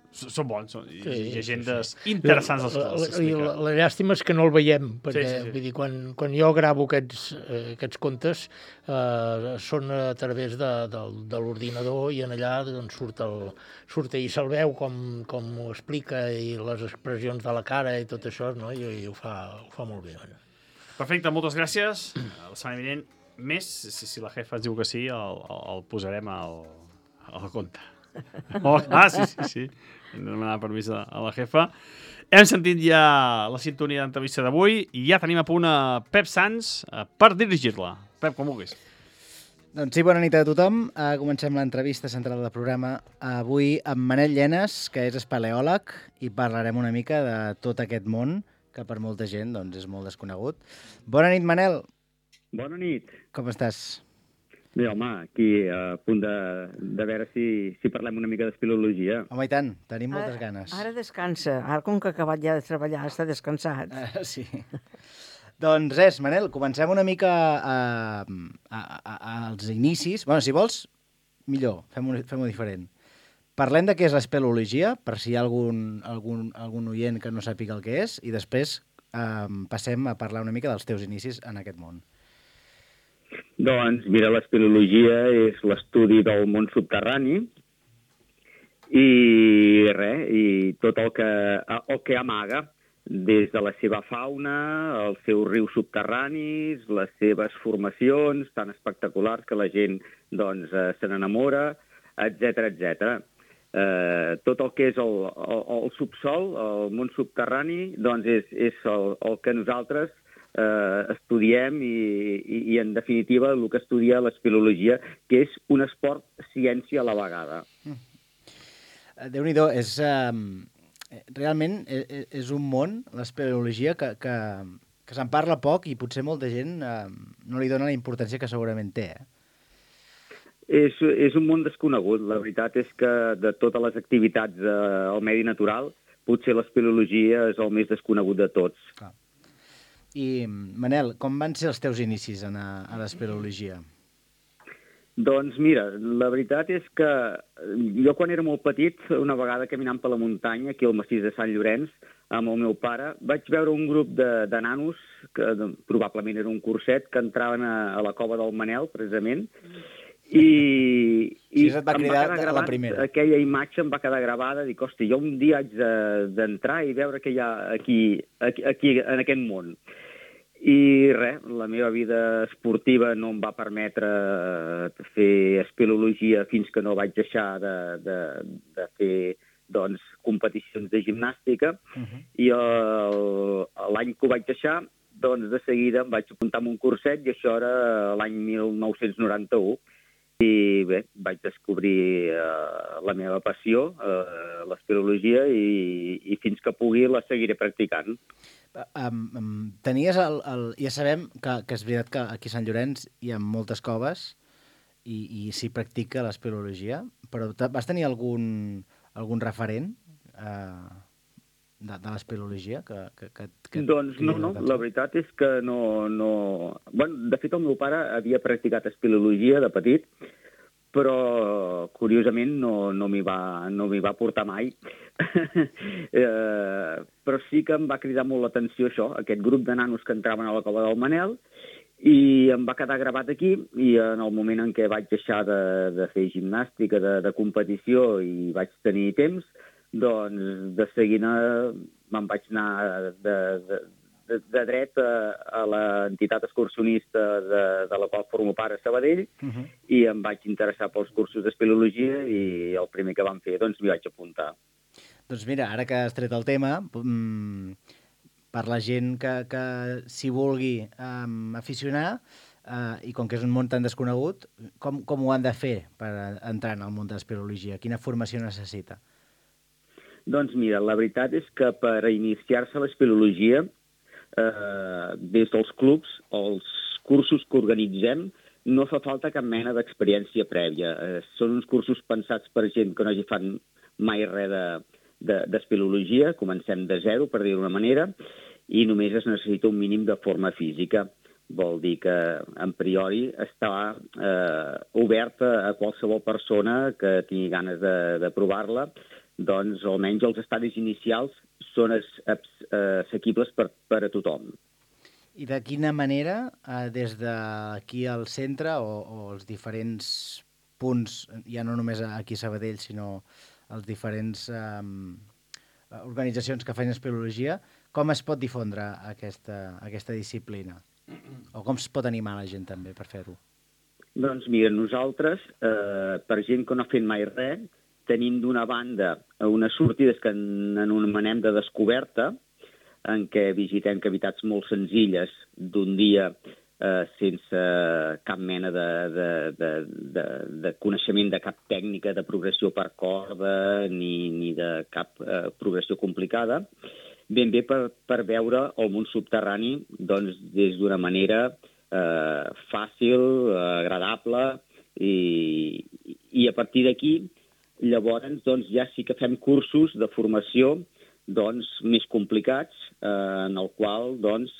són bons. Són sí, llegendes sí, sí. interessants els que els explica. La, la, la llàstima és que no el veiem, perquè sí, sí, sí. Vull dir, quan, quan jo gravo aquests, eh, aquests contes eh, són a través de, de, de l'ordinador i en allà doncs, surt, el, surt i se'l veu com, com ho explica i les expressions de la cara i tot això, no? I, i ho, fa, ho fa molt bé. Bueno. Perfecte, moltes gràcies. La setmana vinent més, si, si la jefa ens diu que sí, el, el posarem al, al compte. Oh, ah, sí, sí, sí. Hem de demanar permís a, a la jefa. Hem sentit ja la sintonia d'entrevista d'avui i ja tenim a punt a Pep Sans per dirigir-la. Pep, com vulguis. Doncs sí, bona nit a tothom. Uh, comencem l'entrevista central del programa avui amb Manel Llenes, que és espeleòleg, i parlarem una mica de tot aquest món que per molta gent doncs, és molt desconegut. Bona nit, Manel. Bona nit. Com estàs? Bé, home, aquí a punt de, de veure si, si parlem una mica d'espeleologia. Home, i tant, tenim moltes ara, ganes. Ara descansa. Ara, com que ha acabat ja de treballar, està descansat. Uh, sí. Doncs res, Manel, comencem una mica a, a, a, als inicis. Bueno, si vols, millor, fem-ho fem-ho diferent. Parlem de què és l'espeleologia, per si hi ha algun, algun, algun oient que no sàpiga el que és, i després eh, passem a parlar una mica dels teus inicis en aquest món. Doncs, mira, l'espeleologia és l'estudi del món subterrani i res, i tot el que, el que amaga, des de la seva fauna, els seus rius subterranis, les seves formacions tan espectaculars que la gent doncs, se n'enamora, etcètera, etcètera. Eh, tot el que és el, el, el subsol, el món subterrani, doncs és, és el, el que nosaltres eh, estudiem i, i, i, en definitiva, el que estudia l'espeleologia, que és un esport ciència a la vegada. Mm. Déu-n'hi-do, és, eh, realment és, és un món, l'espeleologia, que, que, que se'n parla poc i potser molta gent eh, no li dona la importància que segurament té, eh? És, és un món desconegut. La veritat és que de totes les activitats eh, al medi natural, potser l'espeleologia és el més desconegut de tots. Clar. I, Manel, com van ser els teus inicis a, a l'espeleologia? Doncs mira, la veritat és que jo quan era molt petit, una vegada caminant per la muntanya, aquí al massís de Sant Llorenç, amb el meu pare, vaig veure un grup de, de nanos, que probablement era un curset, que entraven a, a la cova del Manel, precisament, i, i sí, et va cridar va gravat, la primera. Aquella imatge em va quedar gravada, dic, hosti, jo un dia haig d'entrar de, i veure què hi ha aquí, aquí, aquí en aquest món. I res, la meva vida esportiva no em va permetre fer espeleologia fins que no vaig deixar de, de, de fer doncs, competicions de gimnàstica, uh-huh. I l'any que ho vaig deixar, doncs de seguida em vaig apuntar en un curset i això era l'any mil nou-cents noranta-u. I bé, vaig descobrir uh, la meva passió, uh, l'espeleologia, i, i fins que pugui la seguiré practicant. Um, um, tenies el, el... Ja sabem que, que és veritat que aquí a Sant Llorenç hi ha moltes coves i, i s'hi practica l'espeleologia, però vas tenir algun, algun referent uh, de, de l'espeleologia? Que, que, que, que doncs no, no, la veritat és que no... no... Bueno, de fet, el meu pare havia practicat espeleologia de petit, però curiosament no, no m'hi va, no m'hi va portar mai. eh, però sí que em va cridar molt l'atenció això, aquest grup de nanos que entraven a la cova del Manel, I em va quedar gravat aquí, i en el moment en què vaig deixar de, de fer gimnàstica, de, de competició, i vaig tenir temps, doncs de seguida me'n vaig anar de, de, de, de dret a, a l'entitat excursionista de, de la qual formo part a Sabadell, Uh -huh. i em vaig interessar pels cursos d'espeleologia, i el primer que vam fer, doncs m'hi vaig apuntar. Doncs mira, ara que has tret el tema, mmm, per la gent que, que s'hi vulgui um, aficionar, uh, i com que és un món tan desconegut, com, com ho han de fer per entrar en el món de l'espeleologia? Quina formació necessita? Doncs mira, la veritat és que per iniciar-se a l'espeleologia, eh, des dels clubs, els cursos que organitzem, no fa falta cap mena d'experiència prèvia. Eh, són uns cursos pensats per gent que no hagi fan mai res de, d'espeleologia, de, comencem de zero, per dir-ho d'una manera, i només es necessita un mínim de forma física. Vol dir que, en priori, està eh, oberta a qualsevol persona que tingui ganes de, de provar-la. Doncs almenys els estadis inicials són assequibles per, per a tothom. I de quina manera, eh, des d'aquí al centre o, o els diferents punts, ja no només aquí a Sabadell, sinó els diferents eh, organitzacions que fan espeleologia, com es pot difondre aquesta, aquesta disciplina? O com es pot animar la gent també per fer-ho? Doncs mira, nosaltres, eh, per gent que no ha fet mai res, tenim d'una banda unes sortides que anomenem de descoberta, en què visitem cavitats molt senzilles d'un dia eh, sense cap mena de, de, de, de, de coneixement de cap tècnica de progressió per corda ni, ni de cap eh, progressió complicada, ben bé per, per veure el món subterrani doncs, des d'una manera eh, fàcil, eh, agradable, i, i a partir d'aquí llavors doncs, ja sí que fem cursos de formació doncs, més complicats, eh, en el qual doncs,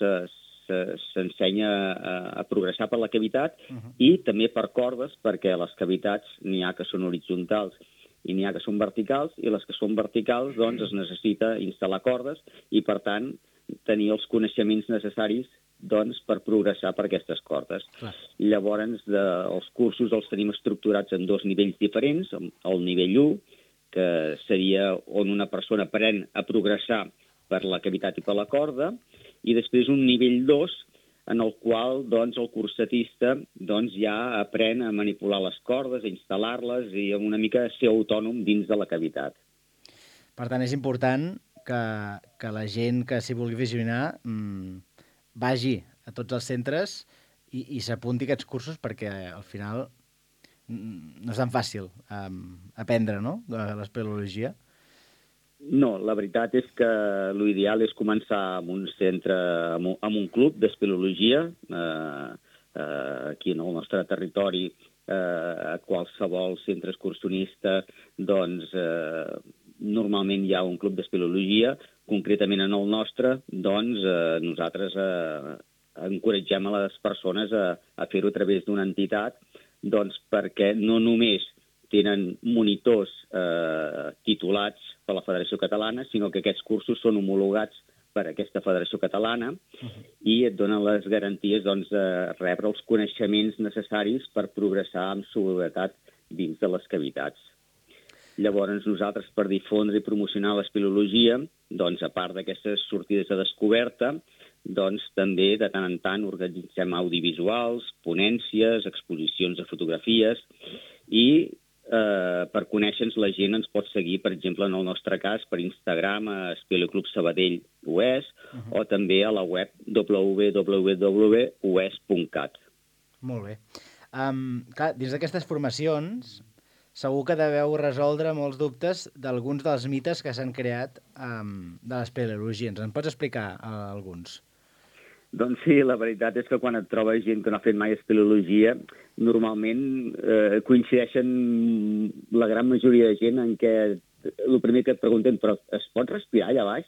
s'ensenya a, a progressar per la cavitat uh-huh. i també per cordes, perquè les cavitats n'hi ha que són horitzontals i n'hi ha que són verticals, i les que són verticals doncs, es necessita instal·lar cordes i, per tant, tenir els coneixements necessaris doncs, per progressar per aquestes cordes. Clar. Llavors, de, els cursos els tenim estructurats en dos nivells diferents. El nivell u, que seria on una persona aprèn a progressar per la cavitat i per la corda, i després un nivell dos, en el qual doncs, el cursatista doncs, ja aprèn a manipular les cordes, a instal·lar-les i una mica a ser autònom dins de la cavitat. Per tant, és important que, que la gent que s'hi vulgui visionar mmm, vagi a tots els centres i, i s'apunti a aquests cursos, perquè al final no és tan fàcil um, aprendre, no?, l'espeleologia. No, la veritat és que l'ideal és començar amb un centre, amb un, amb un club d'espeleologia, eh, eh, aquí en el nostre territori, eh, a qualsevol centre excursionista, doncs eh, normalment hi ha un club d'espeleologia. Concretament en el nostre, doncs eh, nosaltres eh, encoratgem a les persones a, a fer-ho a través d'una entitat, doncs perquè no només tenen monitors eh, titulats per la Federació Catalana, sinó que aquests cursos són homologats per aquesta Federació Catalana uh-huh. i et donen les garanties doncs, de rebre els coneixements necessaris per progressar amb seguretat dins de les cavitats. Llavors, nosaltres, per difondre i promocionar l'espeleologia, doncs, a part d'aquestes sortides de descoberta, doncs, també de tant en tant organitzem audiovisuals, ponències, exposicions de fotografies, i eh, per conèixer-nos la gent ens pot seguir, per exemple, en el nostre cas, per Instagram, a Espeleoclub Sabadell U E S, uh-huh. o també a la web w w w punt u e s punt cat. Molt bé. Um, clar, dins d'aquestes formacions, segur que deveu resoldre molts dubtes d'alguns dels mites que s'han creat um, de l'espeleologia. Ens en pots explicar uh, alguns? Doncs sí, la veritat és que quan et trobes gent que no ha fet mai espeleologia, normalment eh, coincideixen la gran majoria de gent en què el primer que et pregunten, però es pot respirar allà baix?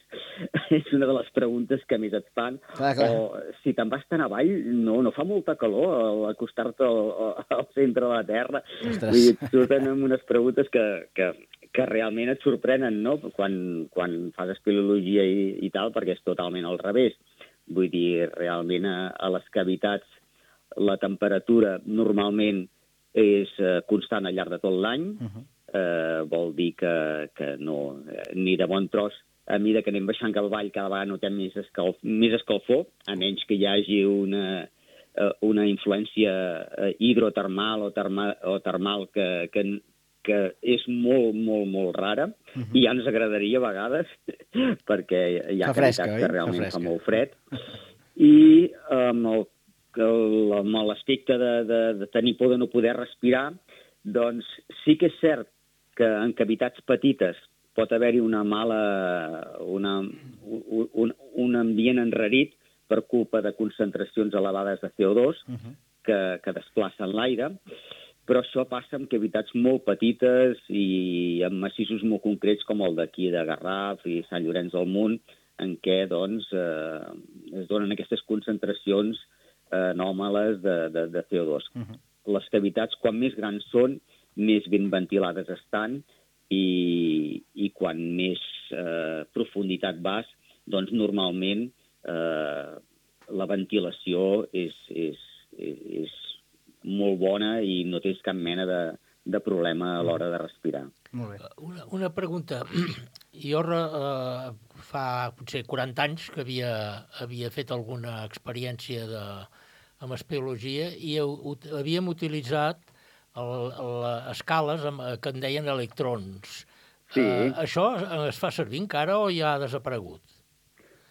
És una de les preguntes que més et fan. Clar, clar. O si te'n vas tan avall, no, no fa molta calor al acostar-te al, al centre de la Terra. Ostres. Vull dir, et surten amb unes preguntes que, que, que realment et sorprenen, no?, quan, quan fas espeleologia i, i tal, perquè és totalment al revés. Vull dir, realment a, a les cavitats la temperatura normalment és eh, constant al llarg de tot l'any, uh-huh. eh, vol dir que, que no, ni de bon tros, a mesura que anem baixant cap avall, cada vegada notem més, escalf, més escalfor, a menys que hi hagi una, una influència hidrotermal o, terma, o termal que, que, que és molt, molt, molt rara, uh-huh. i ja ens agradaria a vegades, perquè hi ha fresca, cavitats que realment fa fa molt fred. I amb el, amb l'aspecte de, de, de tenir por de no poder respirar, doncs sí que és cert que en cavitats petites pot haver-hi una mala, una, un, un, un ambient enrarit per culpa de concentracions elevades de C O dos uh-huh. que, que desplacen l'aire, però això passa en cavitats molt petites i en massissos molt concrets com el d'aquí de Garraf i Sant Llorenç del Munt, en què doncs, eh, es donen aquestes concentracions eh, anòmales de, de, de C O dos. Uh-huh. Les cavitats, quan més grans són, més ben ventilades estan, i, i quan més eh, profunditat vas, doncs normalment eh, la ventilació és, és, és molt bona i no tens cap mena de, de problema a l'hora de respirar. Molt bé. Una, una pregunta. Jo eh, fa potser quaranta anys que havia, havia fet alguna experiència de, amb espeleologia i havíem utilitzat El, el, escales amb, que en deien electrons. Sí. Uh, això es fa servir encara o ja ha desaparegut?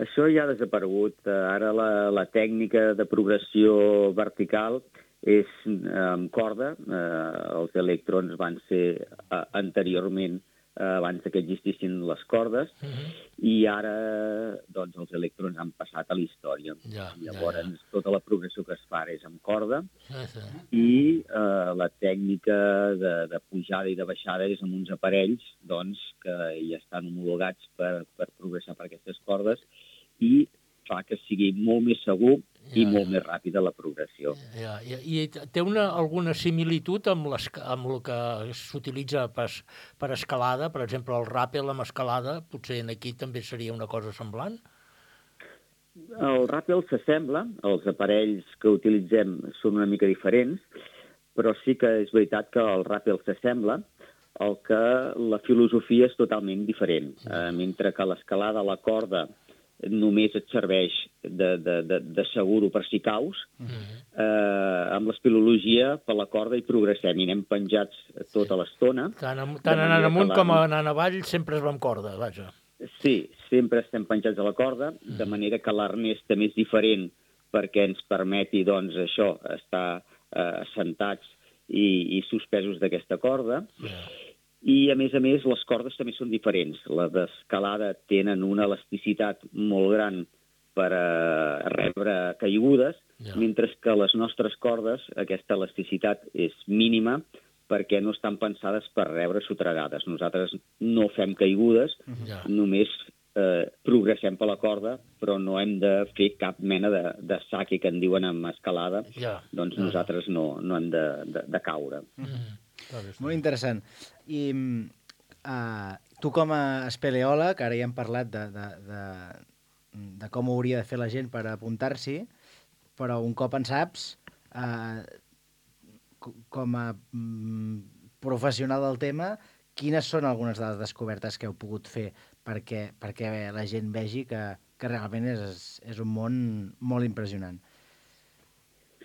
Això ja ha desaparegut. Ara la, la tècnica de progressió vertical és amb corda. Uh, els electrons van ser uh, anteriorment, uh, abans que existissin les cordes, uh-huh. i ara doncs, els electrons han passat a la història. Ja, Llavors, ja, ja. tota la progressió que es fa és amb corda, ja, ja. i uh, la tècnica de, de pujada i de baixada és amb uns aparells doncs, que ja estan homologats per, per progressar per aquestes cordes, i fa que sigui molt més segur i ja, molt ja. més ràpida la progressió. Ja, ja. I té una, alguna similitud amb, amb el que s'utilitza per, per escalada? Per exemple, el ràpel amb escalada, potser aquí també seria una cosa semblant? El ràpel s'assembla, els aparells que utilitzem són una mica diferents, però sí que és veritat que el ràpel s'assembla, el que la filosofia és totalment diferent. Ja. Eh, mentre que l'escalada a la corda només et serveix de, de, de, de seguro per si caus, uh-huh. eh, amb l'espeleologia per la corda hi progressem i anem penjats tota l'estona. Tant, tant anant amunt com anant avall sempre es va amb corda, vaja. Sí, sempre estem penjats a la corda, uh-huh. de manera que l'arnès també és diferent perquè ens permeti, doncs, això, estar eh, assentats i, i suspesos d'aquesta corda. Yeah. I, a més a més, les cordes també són diferents. Les d'escalada tenen una elasticitat molt gran per a rebre caigudes, ja. mentre que les nostres cordes, aquesta elasticitat és mínima perquè no estan pensades per rebre sotregades. Nosaltres no fem caigudes, ja. només eh, progressem per la corda, però no hem de fer cap mena de, de saque que en diuen en escalada, ja. doncs nosaltres no, no hem de, de, de caure. Mm-hmm. Molt interessant. I uh, tu com a espeleòleg, ara ja hem parlat de, de, de, de com ho hauria de fer la gent per apuntar-s'hi, però un cop en saps, uh, com a mm, professional del tema, quines són algunes de les descobertes que heu pogut fer perquè, perquè la gent vegi que, que realment és, és un món molt impressionant?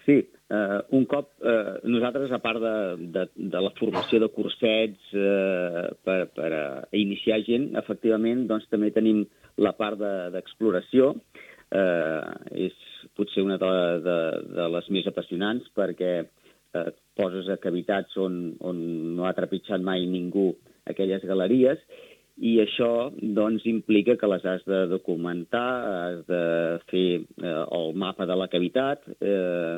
Sí, uh, un cop uh, nosaltres, a part de, de, de la formació de cursets uh, per, per a iniciar gent, efectivament, doncs també tenim la part d'exploració. De, uh, és potser una de, de, de les més apassionants perquè uh, poses a cavitats on, on no ha trepitjat mai ningú aquelles galeries, i això doncs, implica que les has de documentar, has de fer eh, el mapa de la cavitat, eh,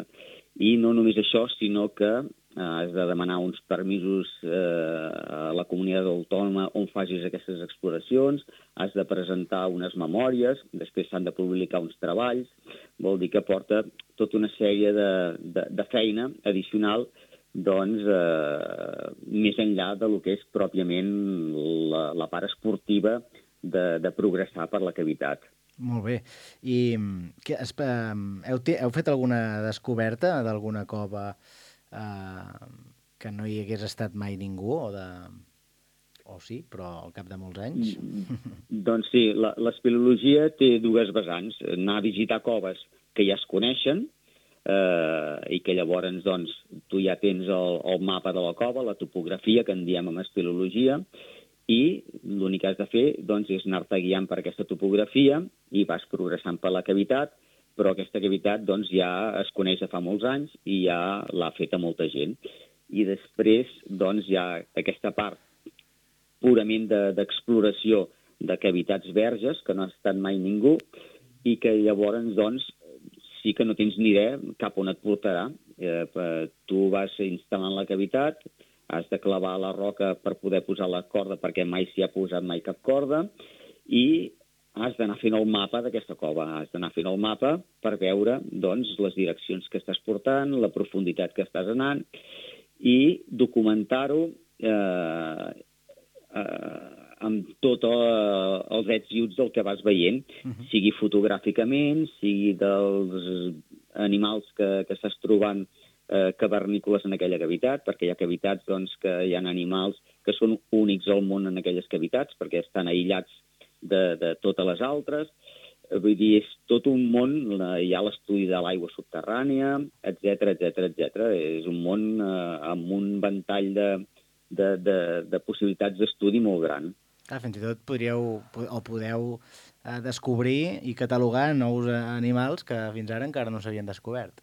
i no només això, sinó que eh, has de demanar uns permisos eh, a la comunitat autònoma on facis aquestes exploracions, has de presentar unes memòries, després s'han de publicar uns treballs, vol dir que porta tota una sèrie de, de, de feina addicional doncs, eh, més enllà de lo que és pròpiament la, la part esportiva de, de progressar per la cavitat. Molt bé. I que, es, heu, heu fet alguna descoberta d'alguna cova eh, que no hi hagués estat mai ningú, o de... o sí, però al cap de molts anys? Mm, doncs sí, la, l'espeleologia té dues vessants. Anar a visitar coves que ja es coneixen eh, i que llavors doncs, tu ja tens el, el mapa de la cova, la topografia, que en diem en espeleologia, i l'únic que has de fer doncs, és anar-te guiant per aquesta topografia i vas progressant per la cavitat, però aquesta cavitat doncs, ja es coneix de fa molts anys i ja l'ha feta molta gent. I després doncs, hi ha aquesta part purament d'exploració de, de cavitats verges, que no ha estat mai ningú, i que llavors, doncs, sí que no tens ni idea cap on et portarà. Eh, tu vas instal·lant la cavitat, has de clavar la roca per poder posar la corda, perquè mai s'hi ha posat mai cap corda, i has d'anar fent el mapa d'aquesta cova. Has d'anar fent el mapa per veure doncs, les direccions que estàs portant, la profunditat que estàs anant, i documentar-ho eh, eh, amb tots uh, els ets i uts del que vas veient, uh-huh. sigui fotogràficament, sigui dels animals que, que estàs trobant eh, cavernícoles en aquella cavitat, perquè hi ha cavitats doncs, que hi ha animals que són únics al món en aquelles cavitats, perquè estan aïllats de, de totes les altres. Vull dir, és tot un món, hi ha l'estudi de l'aigua subterrània, etcètera, etcètera, etcètera. És un món eh, amb un ventall de, de, de, de possibilitats d'estudi molt gran. Ah, fins i tot podríeu o podeu eh, descobrir i catalogar nous animals que fins ara encara no s'havien descobert.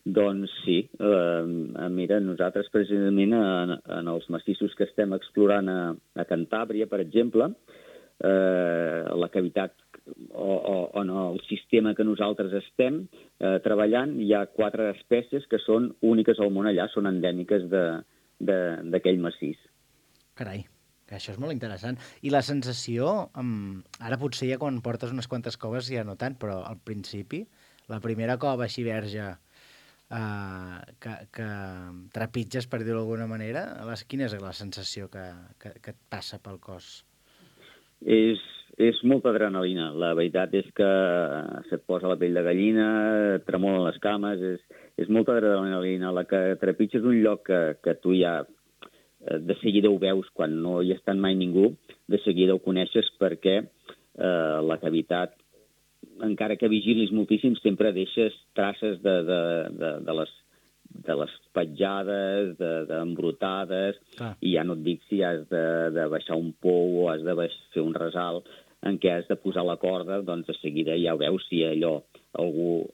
Doncs sí. Eh, mira, nosaltres precisament en, en els massissos que estem explorant a, a Cantàbria, per exemple, eh, la cavitat o, o, o en el sistema que nosaltres estem eh, treballant, hi ha quatre espècies que són úniques al món allà, són endèmiques d'aquell massís. Carai. Que això és molt interessant. I la sensació, um, ara potser ja quan portes unes quantes coves ja no tant, però al principi, la primera cova així verge uh, que, que trepitges, per dir-ho d'alguna manera, les, quina és la sensació que, que, que et passa pel cos? És, és molta adrenalina. La veritat és que se't posa la pell de gallina, tremolen les cames, és, és molta adrenalina. La que trepitges un lloc que, que tu ja de seguida ho veus quan no hi ha estat mai ningú, de seguida ho coneixes perquè eh, la cavitat, encara que vigilis moltíssim, sempre deixes traces de, de, de, de, les, de les petjades, d'embrutades, de, i ja no et dic si has de, de baixar un pou o has de fer un resalt en què has de posar la corda, doncs de seguida ja veus si allò algú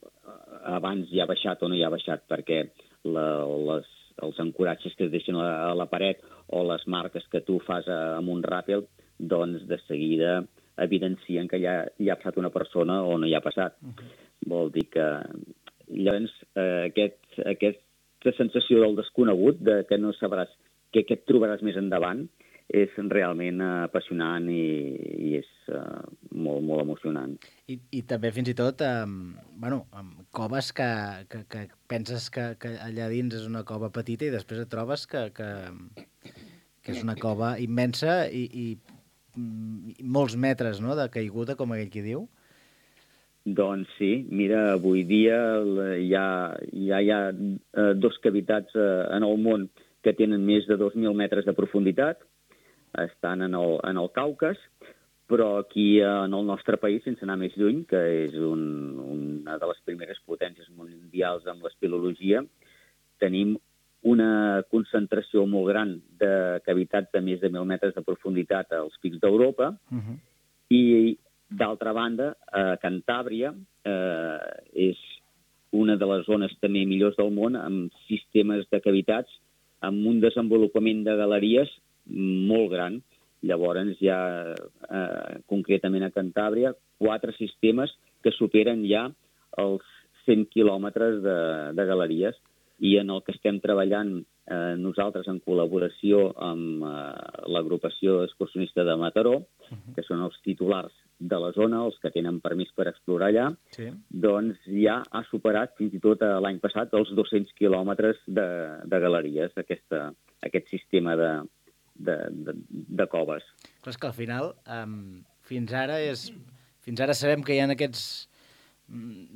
abans hi ha baixat o no hi ha baixat, perquè la, les els ancoratges que es deixen a la paret o les marques que tu fas amb un ràpel, doncs de seguida evidencien que ja hi ha passat una persona o no hi ha passat. Uh-huh. Vol dir que llavors eh, aquest, aquesta sensació del desconegut, de que no sabràs què, què et trobaràs més endavant, és realment apassionant i, i és uh, molt, molt emocionant. I, i també fins i tot um, bueno, um, coves que, que, que penses que, que allà dins és una cova petita i després et trobes que, que, que és una cova immensa i, i, i molts metres, no?, de caiguda, com aquell qui diu. Doncs sí, mira, avui dia ja, ja hi ha uh, dos cavitats uh, en el món que tenen més de dos mil metres de profunditat, estan en el, en el Caucas, però aquí en el nostre país, sense anar més lluny, que és un, una de les primeres potències mundials amb l'espeleologia, tenim una concentració molt gran de cavitats de més de mil metres de profunditat als pics d'Europa, uh-huh. i d'altra banda, a Cantàbria eh, és una de les zones també millors del món amb sistemes de cavitats, amb un desenvolupament de galeries molt gran. Llavors hi ha, eh, concretament a Cantàbria, quatre sistemes que superen ja els cent quilòmetres de, de galeries, i en el que estem treballant eh, nosaltres en col·laboració amb eh, l'agrupació excursionista de Mataró, uh-huh. que són els titulars de la zona, els que tenen permís per explorar allà, sí. doncs ja ha superat fins i tot l'any passat els dos-cents quilòmetres de, de galeries, aquesta, aquest sistema de, de, de, de coves. Clar, és que al final, um, fins ara és fins ara sabem que hi ha aquests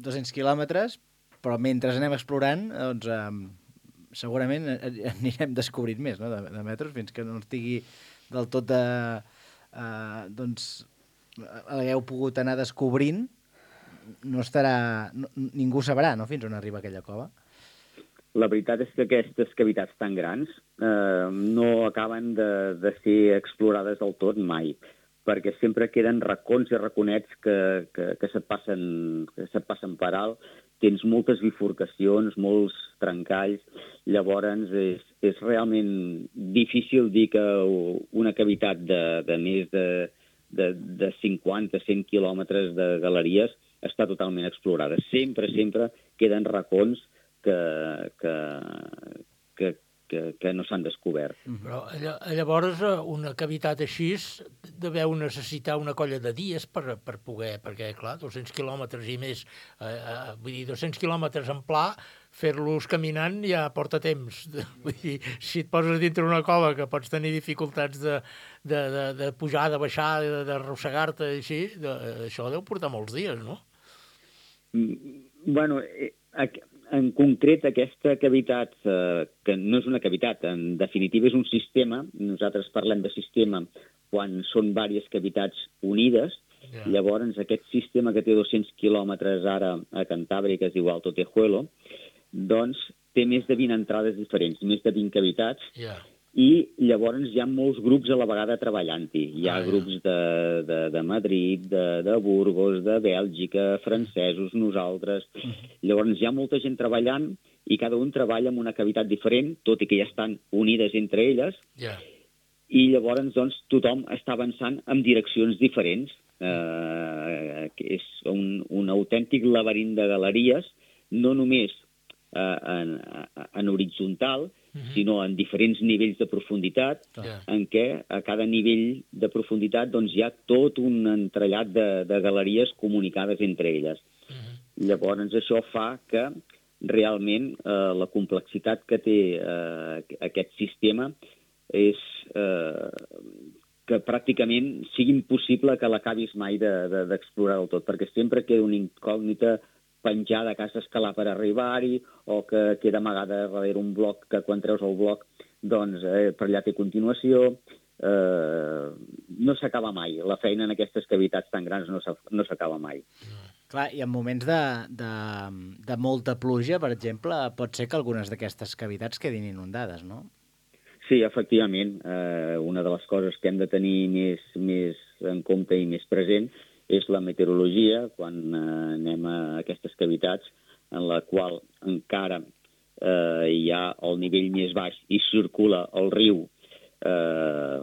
dos-cents quilòmetres, però mentre anem explorant, doncs, eh, segurament anirem descobrint més, no?, de, de metros, fins que no estigui del tot de... Eh, doncs, l'hagueu pogut anar descobrint, no estarà... No, ningú sabrà, no?, fins on arriba aquella cova. La veritat és que aquestes cavitats tan grans eh, no acaben de, de ser explorades del tot mai, perquè sempre queden racons i raconets que, que, que, se't passen, que se't passen per alt. Tens moltes bifurcacions, molts trencalls, llavors és, és realment difícil dir que una cavitat de, de més de, de, de cinquanta a cent quilòmetres de galeries està totalment explorada. Sempre, sempre queden racons que, que, que, que, que no s'han descobert. Però llavors una cavitat així deveu necessitar una colla de dies per, per poder, perquè clar, dos-cents quilòmetres i més, eh, eh, vull dir, dos-cents quilòmetres en pla, fer-los caminant ja porta temps. Vull dir, si et poses dintre una cova que pots tenir dificultats de, de, de, de pujar, de baixar, d'arrossegar-te, així, de, això deu portar molts dies, no? Bueno, en concret aquesta cavitat, eh, que no és una cavitat, en definitiva és un sistema, nosaltres parlem de sistema quan són diverses cavitats unides, yeah. Llavors aquest sistema que té dos-cents quilòmetres ara a Cantàbria, que es diu Alto Tejuelo, doncs té més de vint entrades diferents, més de vint cavitats, yeah. I llavors hi ha molts grups a la vegada treballant-hi. Hi ha ah, grups de, de, de Madrid, de, de Burgos, de Bèlgica, francesos, nosaltres. Llavors hi ha molta gent treballant i cada un treballa en una cavitat diferent, tot i que ja estan unides entre elles, yeah. I llavors doncs, tothom està avançant en direccions diferents. Eh, que és un, un autèntic laberint de galeries, no només eh, en, en horitzontal, sinó en diferents nivells de profunditat, yeah. En què a cada nivell de profunditat doncs, hi ha tot un entrellat de, de galeries comunicades entre elles. Uh-huh. Llavors això fa que realment eh, la complexitat que té eh, aquest sistema és eh, que pràcticament sigui impossible que l'acabis mai d'explorar de, de, del tot, perquè sempre queda una incògnita penjada que has d'escalar per arribar-hi o que queda amagada darrere un bloc que quan treus el bloc doncs eh, per allà té continuació. Eh, no s'acaba mai. La feina en aquestes cavitats tan grans no s'acaba mai. Clar, i en moments de, de, de molta pluja, per exemple, pot ser que algunes d'aquestes cavitats quedin inundades, no? Sí, efectivament. Eh, una de les coses que hem de tenir més, més en compte i més present és la meteorologia, quan eh, anem a aquestes cavitats en la qual encara eh, hi ha el nivell més baix i circula el riu. Eh,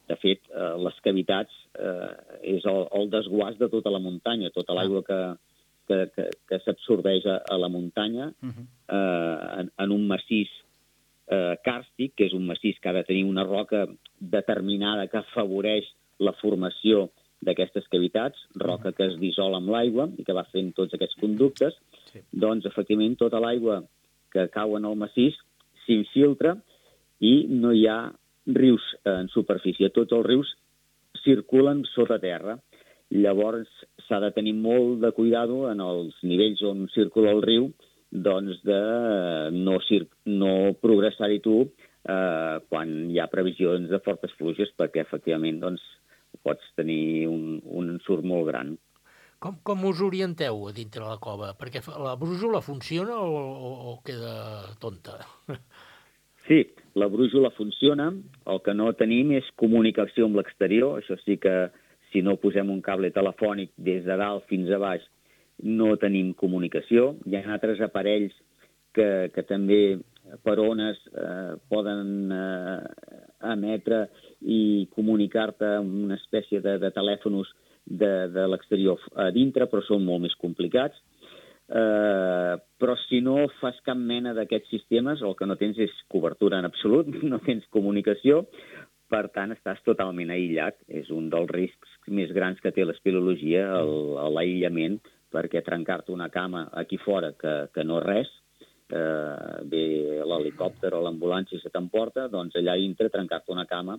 de fet, eh, les cavitats eh, és el, el desguàs de tota la muntanya, tota l'aigua que, que, que, que s'absorbeix a, a la muntanya eh, en, en un massís eh, càrstic, que és un massís que ha de tenir una roca determinada que afavoreix la formació d'aquestes cavitats, roca que es dissol amb l'aigua i que va fent tots aquests conductes, sí. Doncs, efectivament, tota l'aigua que cau en el massís s'infiltra i no hi ha rius en superfície. Tots els rius circulen sota terra. Llavors, s'ha de tenir molt de cuidado en els nivells on circula el riu, doncs de no, no progressar-hi tu eh, quan hi ha previsions de fortes pluges, perquè, efectivament, doncs, pots tenir un, un ensurt molt gran. Com, com us orienteu a dintre la cova? Perquè la brújula funciona o, o, o queda tonta? Sí, la brújula funciona. El que no tenim és comunicació amb l'exterior. Això sí que si no posem un cable telefònic des de dalt fins a baix no tenim comunicació. Hi ha altres aparells que, que també per ones eh, poden eh, emetre i comunicar-te amb una espècie de, de telèfons de, de l'exterior a dintre, però són molt més complicats. Eh, però si no fas cap mena d'aquests sistemes, el que no tens és cobertura en absolut, no tens comunicació, per tant estàs totalment aïllat. És un dels riscs més grans que té l'espeleologia, l'aïllament, perquè trencar-te una cama aquí fora que, que no res, eh, ve l'helicòpter o l'ambulància se t'emporta, doncs allà dintre trencar-te una cama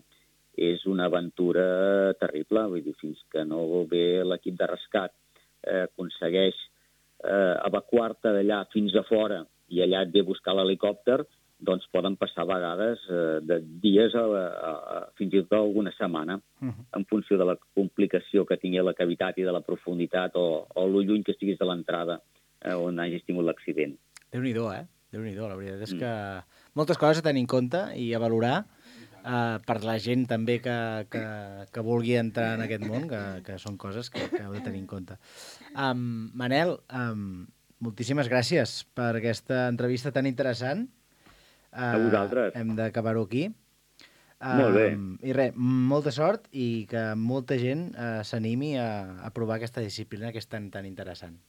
és una aventura terrible. Vull dir, fins que no ve l'equip de rescat, eh, aconsegueix eh, evacuar-te d'allà fins a fora i allà et ve a buscar l'helicòpter, doncs poden passar a vegades eh, de dies a, a, a fins i tot alguna setmana, uh-huh. en funció de la complicació que tingui la cavitat i de la profunditat o, o lo lluny que estiguis de l'entrada eh, on hagis tingut l'accident. Déu-n'hi-do, eh? Déu-n'hi-do, la veritat és que moltes coses a tenir en compte i a valorar uh, per la gent també que, que, que vulgui entrar en aquest món, que, que són coses que, que heu de tenir en compte. Um, Manel, um, moltíssimes gràcies per aquesta entrevista tan interessant. Uh, a vosaltres. Hem d'acabar-ho aquí. Um, Molt bé. I res, molta sort i que molta gent uh, s'animi a, a provar aquesta disciplina que és tan, tan interessant.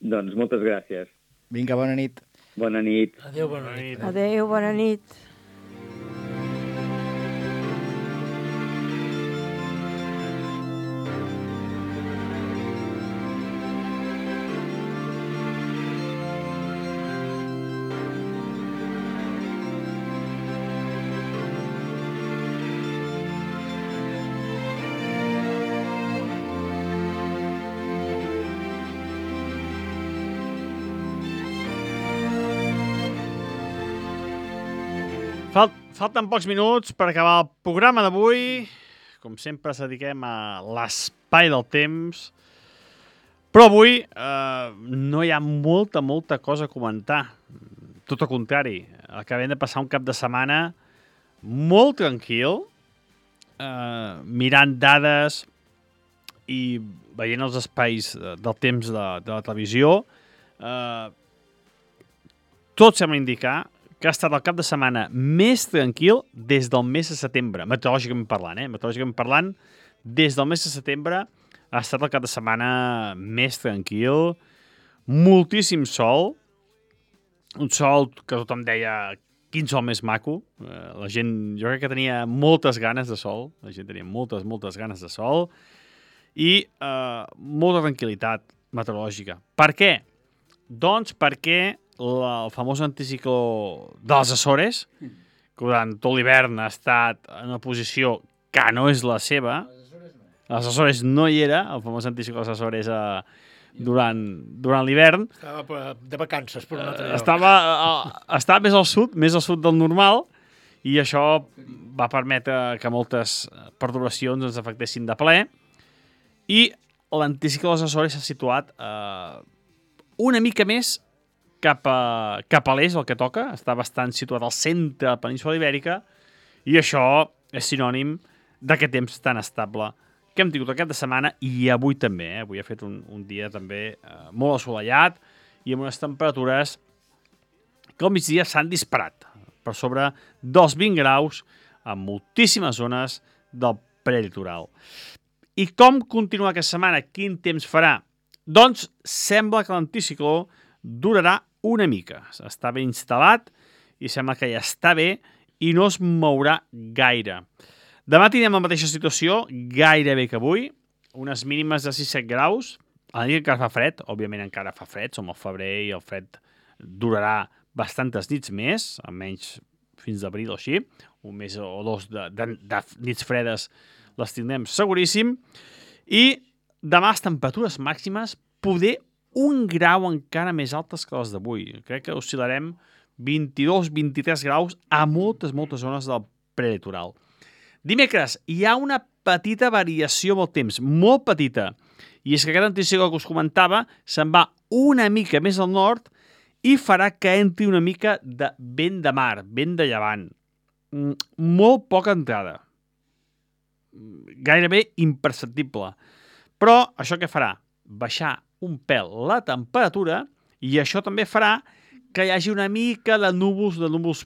Doncs moltes gràcies. Vinga, bona nit. Bona nit. Adéu, bona nit. Adéu, bona nit. Falt, falten pocs minuts per acabar el programa d'avui. Com sempre, ens dediquem a l'espai del temps. Però avui eh, no hi ha molta, molta cosa a comentar. Tot el contrari. Acabem de passar un cap de setmana molt tranquil, eh, mirant dades i veient els espais del temps de, de la televisió. Eh, tot sembla indicar que ha estat el cap de setmana més tranquil des del mes de setembre, meteorològicament parlant, eh? Meteorològicament parlant, des del mes de setembre ha estat el cap de setmana més tranquil, moltíssim sol, un sol que tothom deia quin sol més maco, eh, la gent, jo crec que tenia moltes ganes de sol, la gent tenia moltes, moltes ganes de sol, i eh, molta tranquil·litat meteorològica. Per què? Doncs perquè la, el famós anticicló dels Açores, que durant tot l'hivern ha estat en una posició que no és la seva, als Açores no hi era, el famós anticicló dels Açores a, durant, durant l'hivern. Estava de vacances per un altre lloc. Estava, estava més al sud, més al sud del normal, i això va permetre que moltes perturbacions ens afectessin de ple, i l'anticicló dels Açores s'ha situat eh, una mica més cap a, cap a l'est, el que toca, està bastant situat al centre de la península ibèrica, i això és sinònim d'aquest temps tan estable que hem tingut aquest de setmana, i avui també, eh? Avui ha fet un, un dia també eh, molt assolellat i amb unes temperatures que al migdia s'han disparat per sobre dels vint graus en moltíssimes zones del prelitoral. I com continua aquesta setmana? Quin temps farà? Doncs sembla que l'anticicló durarà una mica. Està ben instal·lat i sembla que ja està bé i no es mourà gaire. Demà tindrem la mateixa situació, gairebé que avui, unes mínimes de sis a set graus. A la nit encara fa fred, òbviament encara fa fred, som al febrer i el fred durarà bastantes nits més, almenys fins d'abril o així, un mes o dos de, de, de nits fredes les tindrem seguríssim, i demà les temperatures màximes poder un grau encara més altes que les d'avui. Crec que oscil·larem vint-i-dos a vint-i-tres graus a moltes, moltes zones del prelitoral. Dimecres hi ha una petita variació amb el temps, molt petita, i és que aquest anticicló que us comentava se'n va una mica més al nord i farà que entri una mica de vent de mar, vent de llevant. Molt poca entrada. Gairebé imperceptible. Però això què farà? Baixar un pèl la temperatura, i això també farà que hi hagi una mica de núvols, de núvols